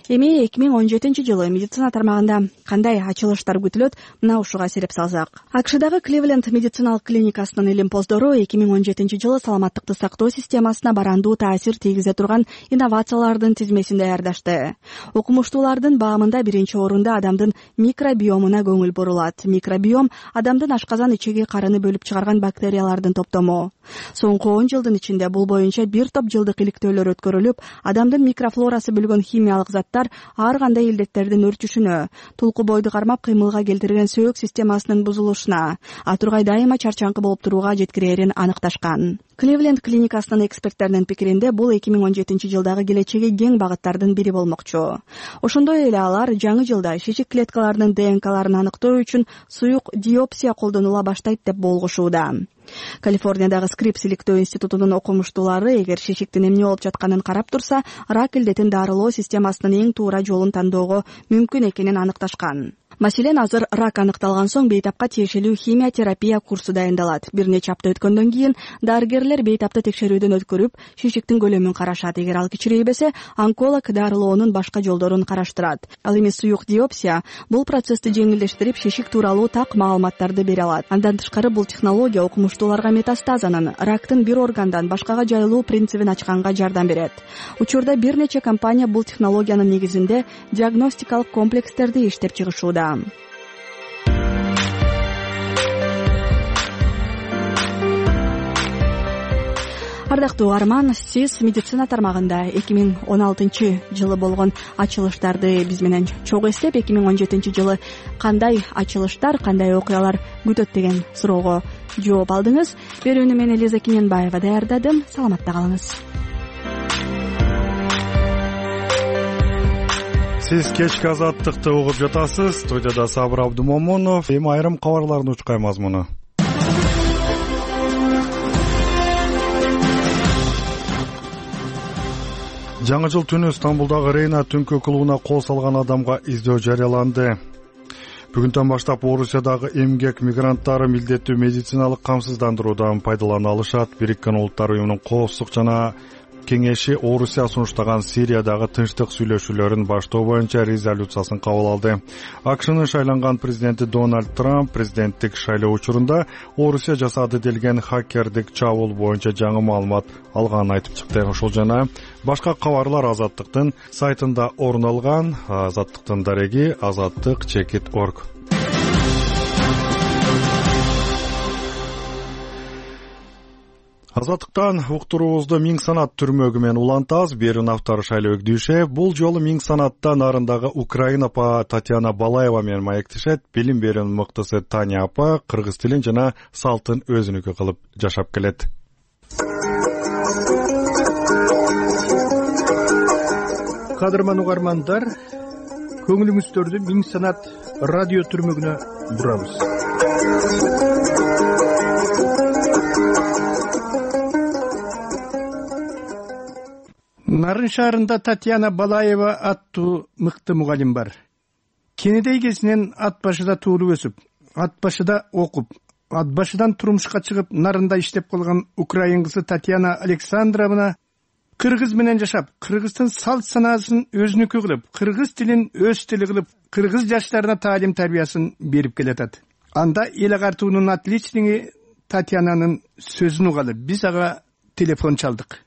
Speaker 13: Эми 2017-жылы медицина тармагында кандай ачылыштар күтүлөт, мына ушуга сереп салсак. АКШдагы Кливленд медициналык клиникасынын илимпоздору 2017-жылы саламаттыкты сактоо системасына барандуу таасир тийгизе турган инновациялардын тизмесин даярдашты. Окумуштуулардын баамында биринчи орунда адамдын микробиомуна көңүл бурулат. Микробиом адамдын ашказан ичеги карыны бөлүп чыгарган бактериялардын топтому. Соңку 10 жылдын ичинде бул боюнча бир топ жылдык иликтөөлөр өткөрүлүп, адамдын микрофлорасы бөлгөн химиялык заттар ар кандай илдеттердин өрчүшүнө, тулку бойду кармап кыймылга келтирген сөөгүк системасынын бузулушуна, атургай дайыма чарчаңкы болуп турууга жеткирээрин аныкташкан. Кливленд клиникасынын эксперттеринин пикиринде бул 2017-жылдагы келечеги кең багыттардын бири болмокчу. Ошондой эле алар жаңы жылда шишик клеткаларынын ДНКларын аныктоо үчүн суюк диопсия колдонула баштайт деп болгушууда. Калифорниядагы Скрипс иликтөө институтунун окумуштуулары эгер шишиктин эмне болуп жатканын карап турса, рак илдетин дарылоо системасынын эң туура жолун тандоого мүмкүн экенин аныкташкан. Маселен, азыр рак аныкталган соң бейтапка тиешелүү химиотерапия курсу дайындалат. Бир нече апта өткөндөн кийин дарыгерлер бейтапты текшерүүдөн өткөрүп, шишиктин көлөмүн карашат. Эгер ал кичирейбесе, онколог дарылоонун башка жолдорун караштырат. Ал эми суюк диопсия бул процессти жеңилдештирип, шишик тууралуу так маалыматтарды бере алат. Андан тышкары бул технология окумуштууларга метастазанын, рактын бир органдан башкага жайылуу принцибин ачканга жардам берет. Учурда бир нече компания бул технологиянын негизинде диагностикалык комплекстерди иштеп чыгышууда. Ардактуу угарман, сиз медицина тармагында 2016-жылы болгон ачылыштарды биз менен чогуу эстеп, 2017-жылы кандай ачылыштар, кандай окуялар күтөт деген суроого жооп алдыңыз. Берүүнү мен Элиза Киненбаева даярдадым. Саламатта калыңыз.
Speaker 1: Сиз кечки азаттыкты угуп жатасыз. Студияда Сабыр Абдумомунов. Эми айрым кабарлардын учкай мазмуну. Жаңы жыл түнү Стамбулдагы Рейна түнкү клубуна кол салган адамга издөө жарыяланды. Бүгүндөн баштап Орусиядагы эмгек мигранттары милдеттүү медициналык камсыздандыруудан пайдалана алышат. Бириккен Улуттар уюмунун коопсуздук жана кеңеши Орусия сунуштаган Сириядагы тынчтык сүйлөшүүлөрүн баштоо боюнча резолюциясын кабыл алды. АКШнын шайланган президенти Дональд Трамп президенттик шайлоо учурунда Орусия жасады делген хакердик чабуул боюнча жаңы маалымат алганын айтып чыкты. Ошол жана башка кабарлар Азаттыктын сайтында орун алган. Азаттыктын дареги azattyk.org. Азаттыктан уктуруубузду Миң санат түрмөгү менен улантабыз. Берүүнүн автору Шайлоо Өгдүүшев. Бул жолу Миң санатта нарындагы Украина апа Татьяна Балаева менен маектешет. Билим берүүнүн мыктысы Таня апа кыргыз тилин жана салтын өзүнүкү кылып жашап келет.
Speaker 5: Кадырман угармандар, көңүлүңүздөрдү Миң санат радио түрмөгүнө бурабыз. Нарын шаарында Татьяна Балаева аттуу мыкты мугалим бар. Кенедей кезинен ат башыда туулуп өсүп, ат башыда окуп, ат башыдан турмушка чыгып, нарында иштеп калган украин кызы Татьяна Александровна кыргыз менен жашап, кыргыздын салт санаасын өзүнүкү кылып, кыргыз тилин өз тили кылып, кыргыз жаштарына таалим тарбиясын берип келатат. Анда эл агартуунун отличниги Татьянанын сөзүн угалы биз ага телефон чалдык.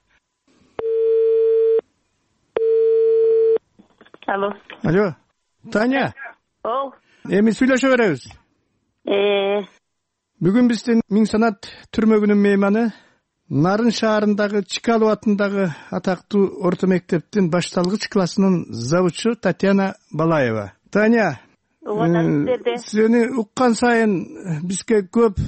Speaker 14: Алло.
Speaker 5: Алло. Таня.
Speaker 14: Ол.
Speaker 5: Эми сүйлөшө беребиз. Бүгүн биздин Миң санат түрмөгүнүн мейманы Нарын шаарындагы Чкалов атындагы атактуу орто мектептин башталгыч классынын завучу Татьяна Балаева. Таня, сени уккан сайын бизге көп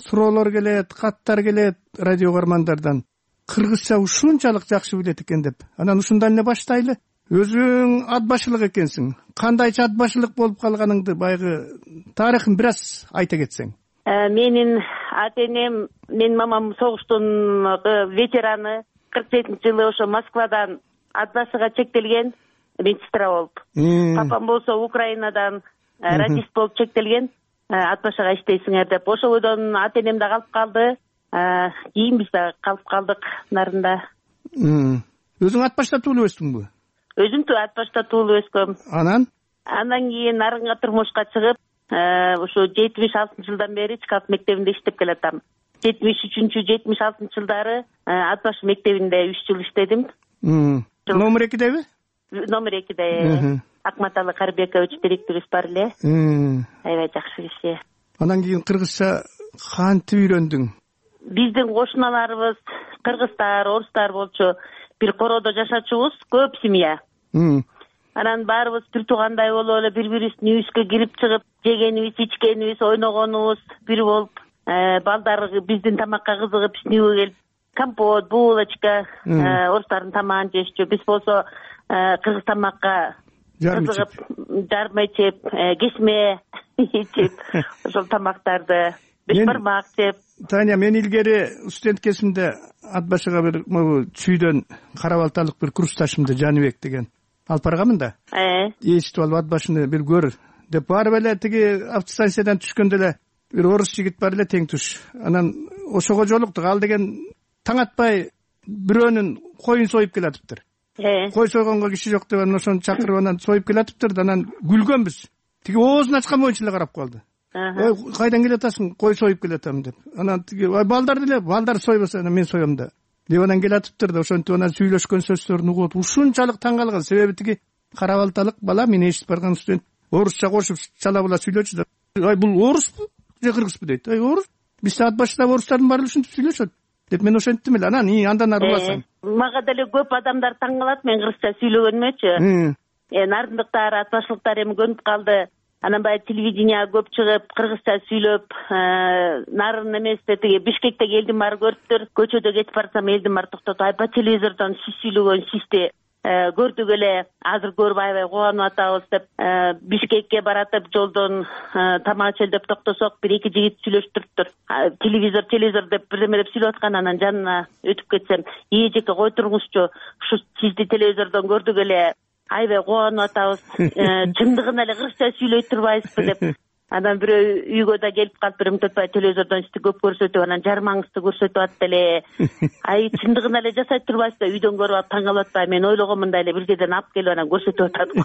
Speaker 5: суроолор келет, каттар келет радио угармандардан. Кыргызча ушунчалык жакшы билет экен деп. Анан ушундан эле баштайлы. Өзүң ат башылык экенсиң. Кандайча ат башылык болуп калганыңды байгы тарыхын бир аз айта кетсең.
Speaker 14: Менин ата-энем, менин мамам согуштун ветераны, 47-жылы ошо Москвадан ат башыга чектелген медсестра болуп. Папам болсо Украинадан радист болуп чектелген, ат башыга иштейсиңер деп. Ошол бойдон ата-энем да калып калды, кийин биз да калып калдык нарында.
Speaker 5: Өзүң ат башта туулуп өстүңбү?
Speaker 14: өзүм ат башта туулуп өскөм.
Speaker 5: Андан
Speaker 14: кийин нарынга турмушка чыгып, ушу 76 жылдан бери Чкалов мектебинде иштеп келатам. 73-76 жылдары ат баш мектебинде 3 жыл иштедим.
Speaker 5: Номер 2деби?
Speaker 14: Номер 2де. Акматалы Карбекович директорубуз бар эле. Аябай жакшы киши.
Speaker 5: Андан кийин кыргызча кантип үйрөндүң?
Speaker 14: Биздин кошуналарыбыз кыргыздар, орустар болчу. Бир короодо жашачубуз, көп семья. Анан баарыбыз бир туугандай болуп эле бири-бирибиздин үйүбүзгө кирип чыгып, жегенибиз, ичкенибиз, ойногонубуз бир болуп, балдар биздин тамакка кызыгып, биздин үйгө келип, компот, булочка, орустардын тамагын жешчү. Биз болсо кыргыз тамакка кызыгып, жарма ичип, кесме ичип, ошол тамактарды, бешбармак жеп.
Speaker 5: Таня, мен илгери студент кезимде ат башыга бир чүйдөн Карабалталык бир курсташымды Жаныбек деген алып барганмын да. Эчтип алып ат башыны бир көр деп барып эле тиги автостанциядан түшкөндө эле бир орус жигит бар эле тең туш. Анан ошого жолуктук. Ал деген таң атпай бирөөнүн коюн союп келатыптыр. Кой сойгонго киши жок деп анан ошону чакырып анан союп келатыптыр. Анан күлгөнбүз. Тиги оозун ачкан боюнча эле карап калды. Ой, кайдан келатасың? Кой союп келатам деп. Анан тиги балдар деле, балдар сойбосо мен соём да. Деп анан келатыптыр да, ошентип анан сүйлөшкөн сөздөрүн угуп ушунчалык таң калган. Себеби тиги Карабалталык бала мен эшитип барган студент орусча кошуп чала була сүйлөчү да. Ай, бул оруспу же кыргызбы дейт. Ай, орус. Биз ат башында орустардын баары ушинтип сүйлөшөт деп мен ошенттим эле. Анан андан ары уласам.
Speaker 14: Мага деле көп адамдар таң калат мен кыргызча сүйлөгөнүмөчү. Нарындыктар, ат башлыктар эми көнүп калды. Анан баягы телевиденияга көп чыгып, кыргызча сүйлөп, нарын эместе тиги Бишкектеги элдин баары көрүптүр. Көчөдө кетип барсам элдин баары токтоп, ай, по телевизордон сиз сүйлөгөн сизди көрдүк эле, азыр көрүп аябай кубанып атабыз деп, Бишкекке баратып жолдон тамак ичели деп токтосок, бир эки жигит сүйлөштүрүптүр. Телевизор деп бирдеме деп сүйлөп аткан, анан жанына өтүп кетсем, жеке кой туруңузчу, ушу сизди телевизордон көрдүк эле, аябай кубанып атабыз, чындыгын эле кыргызча сүйлөй турбайсызбы деп. Анан бирөө үйгө да келип калып, бир мынтипай телевизордон сизди көп көрсөтүп, анан жармаңызды көрсөтүп атты эле. Ай, чындыгын эле жасай турбайсызбы, үйдөн көрүп алып таң калып атпайбы? Мен ойлогом мындай эле бир жерден алып келип анан көрсөтүп атат го.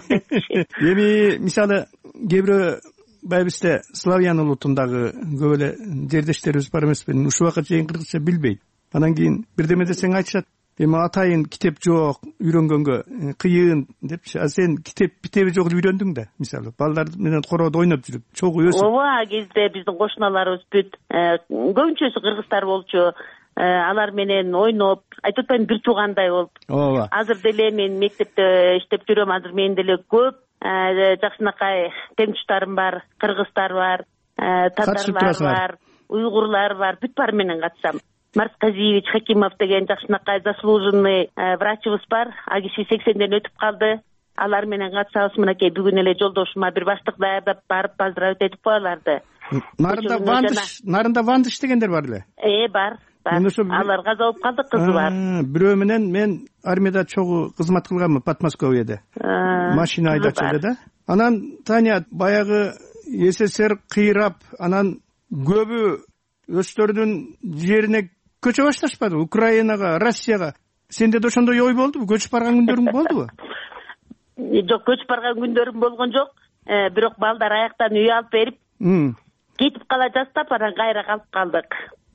Speaker 5: Эми мисалы кээ бирөө баягы бизде славян улутундагы көп эле жердештерибиз бар эмеспи? Ушул убакка чейин кыргызча билбейт. Анан кийин бирдеме десең айтышат. Эми атайын китеп жок, үйрөнгөнгө кыйын депчи. А сен китеби жок үйрөндүң да, мисалы. Балдар менен короодо ойноп жүрүп, чогуу өсүп.
Speaker 14: Ооба, кезде биздин кошуналарыбыз бүт көбүнчөсү кыргыздар болчу. Алар менен ойноп, айтып атпайм, бир туугандай болуп.
Speaker 5: Ооба.
Speaker 14: Азыр деле мен мектепте иштеп жүрөм. Азыр менин деле көп жакшынакай теңтуштарым бар, кыргыздар бар, татарлар бар, уйгурлар бар, бүт баары менен катышам. Марсказиевич Хакимов деген жакшынакай заслуженный врачыбыз бар. А киши 80ден өтүп калды. Алар менен катышабыз. Мынакей бүгүн эле жолдошума бир баштык даярдап барып поздравить этип коеларды.
Speaker 5: Нарында Вандыш дегендер бар эле?
Speaker 14: Бар. Алар каза болуп калды, кызы бар.
Speaker 5: Бирөө менен мен армияда чогуу кызмат кылганмын, Подмосковьеде. Машина айдачу эле да. Анан Таня баягы СССР кыйрап, анан көбү өздөрүнүн жерине көчө башташпады? Украинага, Россияга. Сенде да ошондой ой болдубу? Көчүп барган күндөрүң болдубу?
Speaker 14: Жок, көчүп барган күндөрүм болгон жок. Бирок балдар аяктан үй алып берип, кетип кала жастап, анан кайра калып калдык.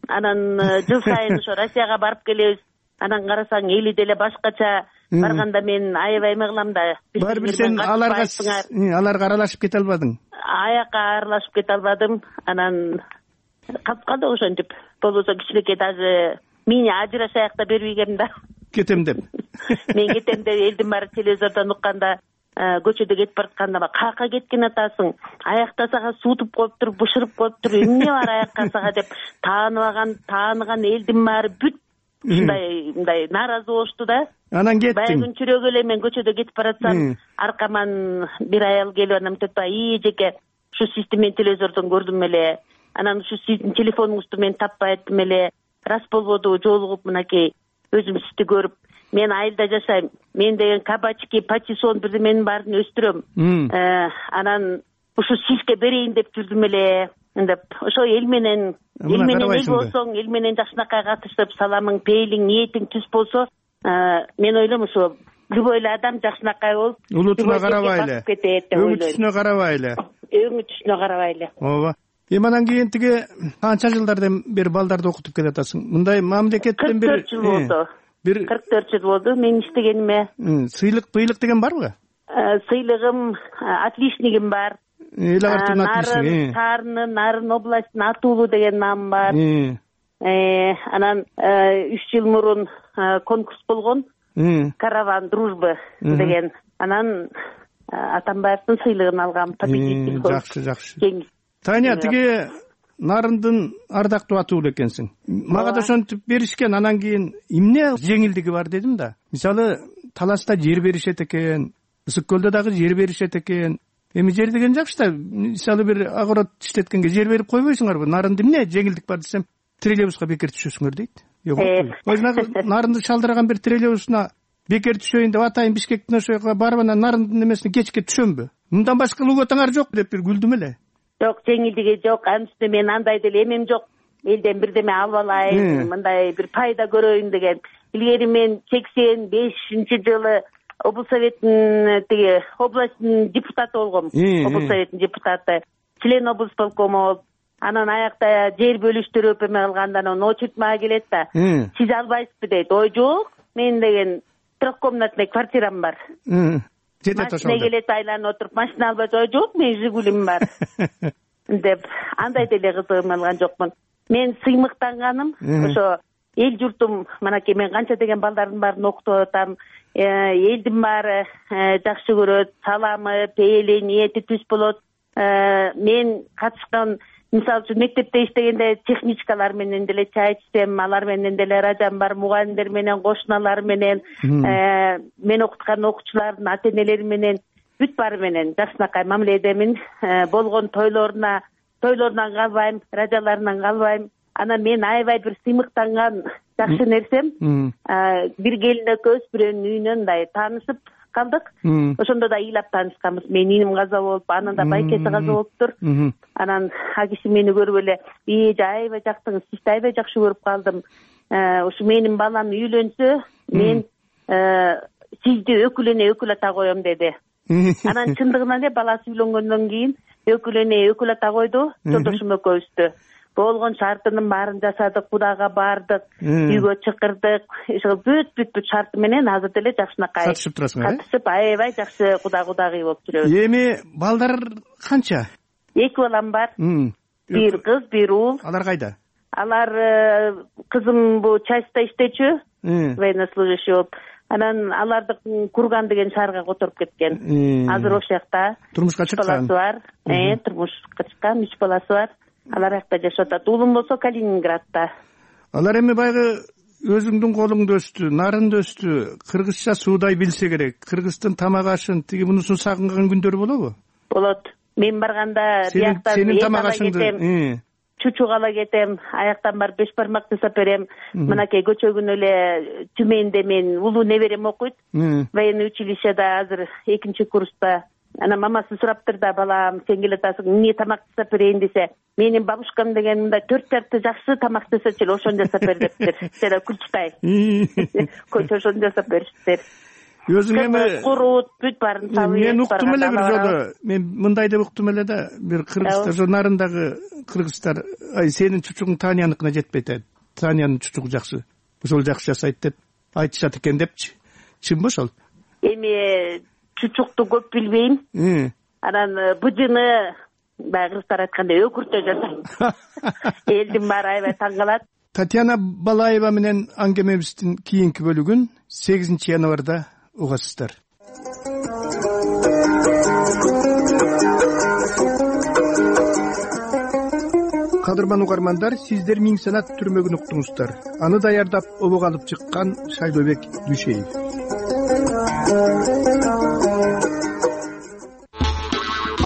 Speaker 14: Анан жыл сайын ошо Россияга барып келебиз. Анан карасаң эли деле башкача. Барганда мен аябай эме кылам да.
Speaker 5: Барбир сен аларга аралашып кете албадың?
Speaker 14: Аякка аралашып кете албадым. Анан калып калды ошентип. Болбосо кичинекей даже мени ажырашаяк да бербегем да.
Speaker 5: Кетем деп.
Speaker 14: Мен кетем деп элдин баары телевизордон укканда, көчөдө кетип баратканда кака кеткен атасың? Аякта сага суутуп коюптур, бышырып коюптур, эмне бар аякка сага деп тааныган элдин баары бүт мындай нааразы болушту да.
Speaker 5: Анан кеттиң.
Speaker 14: Баягы чүрөгү эле мен көчөдө кетип баратсам, аркаман бир аял келип анан мынтип жеке, ушу сизди мен телевизордон көрдүм эле. Анан ушу сиздин телефонуңузду мен таппай аттым эле. Рас болбоду, жолугуп мынакей өзүм сизди көрүп, мен айылда жашайм. Мен деген кабачки, патиссон бирдеменин баарын өстүрөм. Анан ушу сизге берейин деп жүрдүм эле. Деп ошо эл менен эл болсоң, эл менен жакшынакай катышып, саламың, пейилиң, ниетиң түз болсо, мен ойлойм ошо любой эле адам жакшынакай болуп
Speaker 5: улутуна карабай эле, өңү түсүнө карабай эле,
Speaker 14: ооба.
Speaker 5: Эми анан кийин тиги канча жылдардан бери балдарды окутуп келатасың? Мындай мамлекеттен бир
Speaker 14: 44 жыл болду. 44 жыл болду мен иштегениме.
Speaker 5: Сыйлык деген барбы?
Speaker 14: Сыйлыгым, отличнигим бар. Нарын областынын аты улуу деген наам бар. Анан 3 жыл мурун конкурс болгон. Караван дружбы деген. Анан Атамбаевдин сыйлыгын алгам.
Speaker 5: Жакшы. Таня, тиги нарындын ардактуу аты улуу экенсиң. Мага да ошентип беришкен, анан кийин эмне жеңилдиги бар дедим да. Мисалы, Таласта жер беришет экен, Ысык көлдө дагы жер беришет экен. Эми жер деген жакшы да, мисалы бир огород иштеткенге жер берип койбойсуңарбы? Нарында эмне жеңилдик бар десем, троллейбуска бекер түшөсүңөр дейт. Нарынды шалдырган бир троллейбусуна бекер түшөйүн деп атайын Бишкектин ошол жака барып анан нарындын эмесине кечке түшөмбү? Мындан башка луготаңар жок деп бир күлдүм эле.
Speaker 14: Жок, жеңилдиги жок. Анысы мен андай деле эмем жок. Элден бирдеме алып алайын, мындай бир пайда көрөйүн деген. Илгери мен 85-жылы облсоветтин тиги областтын депутаты болгом. Облсоветтин депутаты, член облсполкома болуп, анан аякта жер бөлүштүрүп эме кылганда анан очередь мага келет да. Сиз албайсызбы дейт. Ой жок, мен деген трехкомнатный квартирам бар. Машина келет айланып отуруп, машина албайт. Ой жок, мен Жигулим бар. Деп андай деле кызыгым алган жокмун. Мен сыймыктанганым ошо эл журтум, манакей мен канча деген балдардын баарын окутуп атам. Элдин баары жакшы көрөт, саламы, пейили, ниети түз болот. Мен катышкан, мисалы үчүн мектепте иштегенде техничкалар менен деле чай ичсем, алар менен деле радам бар, мугалимдер менен, кошуналар менен, мен окуткан окуучулардын ата-энелери менен, бүт баары менен жакшынакай мамиледемин. Болгон тойлорунан калбайм, радиолорунан калбайм. Анан мен аябай бир сыймыктанган жакшы нерсем, бир келин экөөбүз бирөөнүн үйүнөн мындай таанышып калдык. Ошондо да ыйлап таанышканбыз. Менин иним каза болуп, анын да байкеси каза болуптур. Анан а киши мени көрүп эле, аябай жактыңыз, сизди аябай жакшы көрүп калдым. Ушу менин балам үйлөнсө, мен сизди өкүл ата коем деди. Анан чындыгынан эле баласы үйлөнгөндөн кийин өкүл ата койду, жолдошум экөөбүздү. Болгон шартынын баарын жасадык, Кудага бардык, үйгө чакырдык. Ошол бүт шарты менен азыр деле жакшынакай катышып турасыңар. Катышып аябай жакшы кудагый болуп жүрөбүз.
Speaker 5: Эми балдар канча?
Speaker 14: 2 балам бар. Бир кыз, бир уул.
Speaker 5: Алар кайда?
Speaker 14: Алар кызым бу частьта иштечү, военнослужащий болуп. Анан аларды Курган деген шаарга которуп кеткен. Азыр ошол жакта.
Speaker 5: Турмушка чыккан.
Speaker 14: Баласы бар. Турмушка чыккан, 3 баласы бар. Алар жакта жашап атат. Уулум болсо Калининградта.
Speaker 5: Алар эми байгы өзүңдүн колуңда өстү, нарында өстү, кыргызча суудай билсе керек. Кыргыздын тамак ашын, тиги мунусун сагынган күндөрү болобу?
Speaker 14: Болот. Мен барганда бияктан
Speaker 5: сенин тамак ашыңды
Speaker 14: чучук ала кетем, аяктан барып 5 бармак жасап берем. Мынакей көчөгүн эле Түмөндө мен улуу неберем окуйт. Военный училищеда азыр 2 курста. Анан мамасы сураптыр да, балам, сен келатасың, эмне тамак жасап берейин десе, менин бабушкам деген мындай 4 жарты жакшы тамак жасачу эле, ошону жасап бер дептир. Жана күлчүтай. Ошону жасап бериштир.
Speaker 5: Өзүң эми
Speaker 14: курут, бүт баарын сабый.
Speaker 5: Мен уктум эле бир жолу. Мен мындай деп уктум эле да, бир кыргыздар, ошо нарындагы кыргыздар, сенин чучугуң Танияныкына жетпейт. Таниянын чучугу жакшы. Ошол жакшы жасайт деп айтышат экен депчи. Чынбы ошол?
Speaker 14: Эми чучукту көп билбейм. Анан быжыны баягы кыргыздар айткандай өкүртө жасайм. Элдин баары аябай таң калат.
Speaker 5: Татьяна Балаева менен аңгемебиздин кийинки бөлүгүн 8 январда угасыздар. Кадырман угармандар, сиздер Миң Санат түрмөгүн уктуңуздар. Аны даярдап обого алып чыккан Шайлообек Дүйшеев.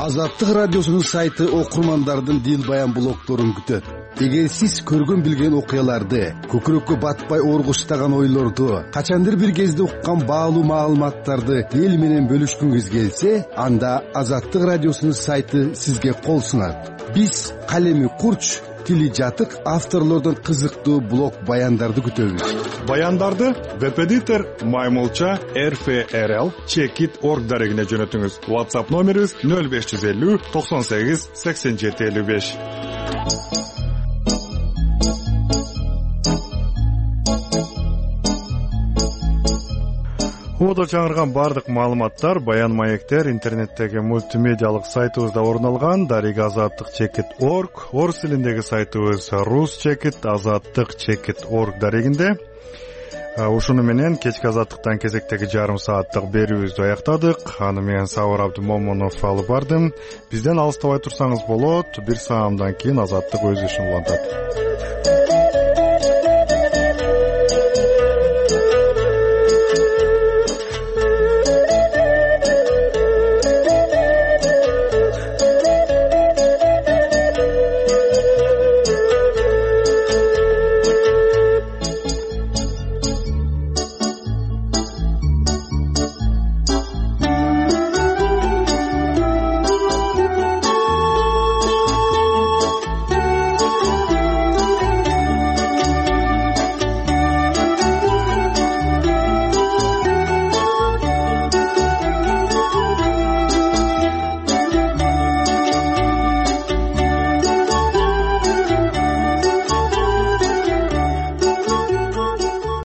Speaker 11: Азаттык радиосунун сайты окурмандардын дил баян блогдорун күтөт. эгер сиз көргөн билген окуяларды, көкүрөккө батпай ооргуштаган ойлорду, качандыр бир кезде уккан баалуу маалыматтарды эл менен бөлүшкүңүз келсе, анда Азаттык радиосунун сайты сизге кол сунат. Биз калеми курч, тили жатык авторлордон кызыктуу блог баяндарды күтөбүз.
Speaker 1: Баяндарды Веб-эдитор Маймылча RFRL Checkit.org дарегине жөнөтүңүз. WhatsApp номерибиз 0550 98 87 55. Убада чаңырган бардык маалыматтар, баян маектер интернеттеги мультимедиалык сайтыбызда орун алган. Дареги Азаттык Checkit.org, орус тилиндеги сайтыбыз Rus Checkit, Азаттык Checkit.org дарегинде. Ушуну менен кечки Азаттыктан кезектеги жарым сааттык берүүбүздү аяктадык. Аны мен Сабыр Абдымомунов алып бардым. Бизден алыстабай турсаңыз болот. Бир саамдан кийин Азаттык өз ишин улантат.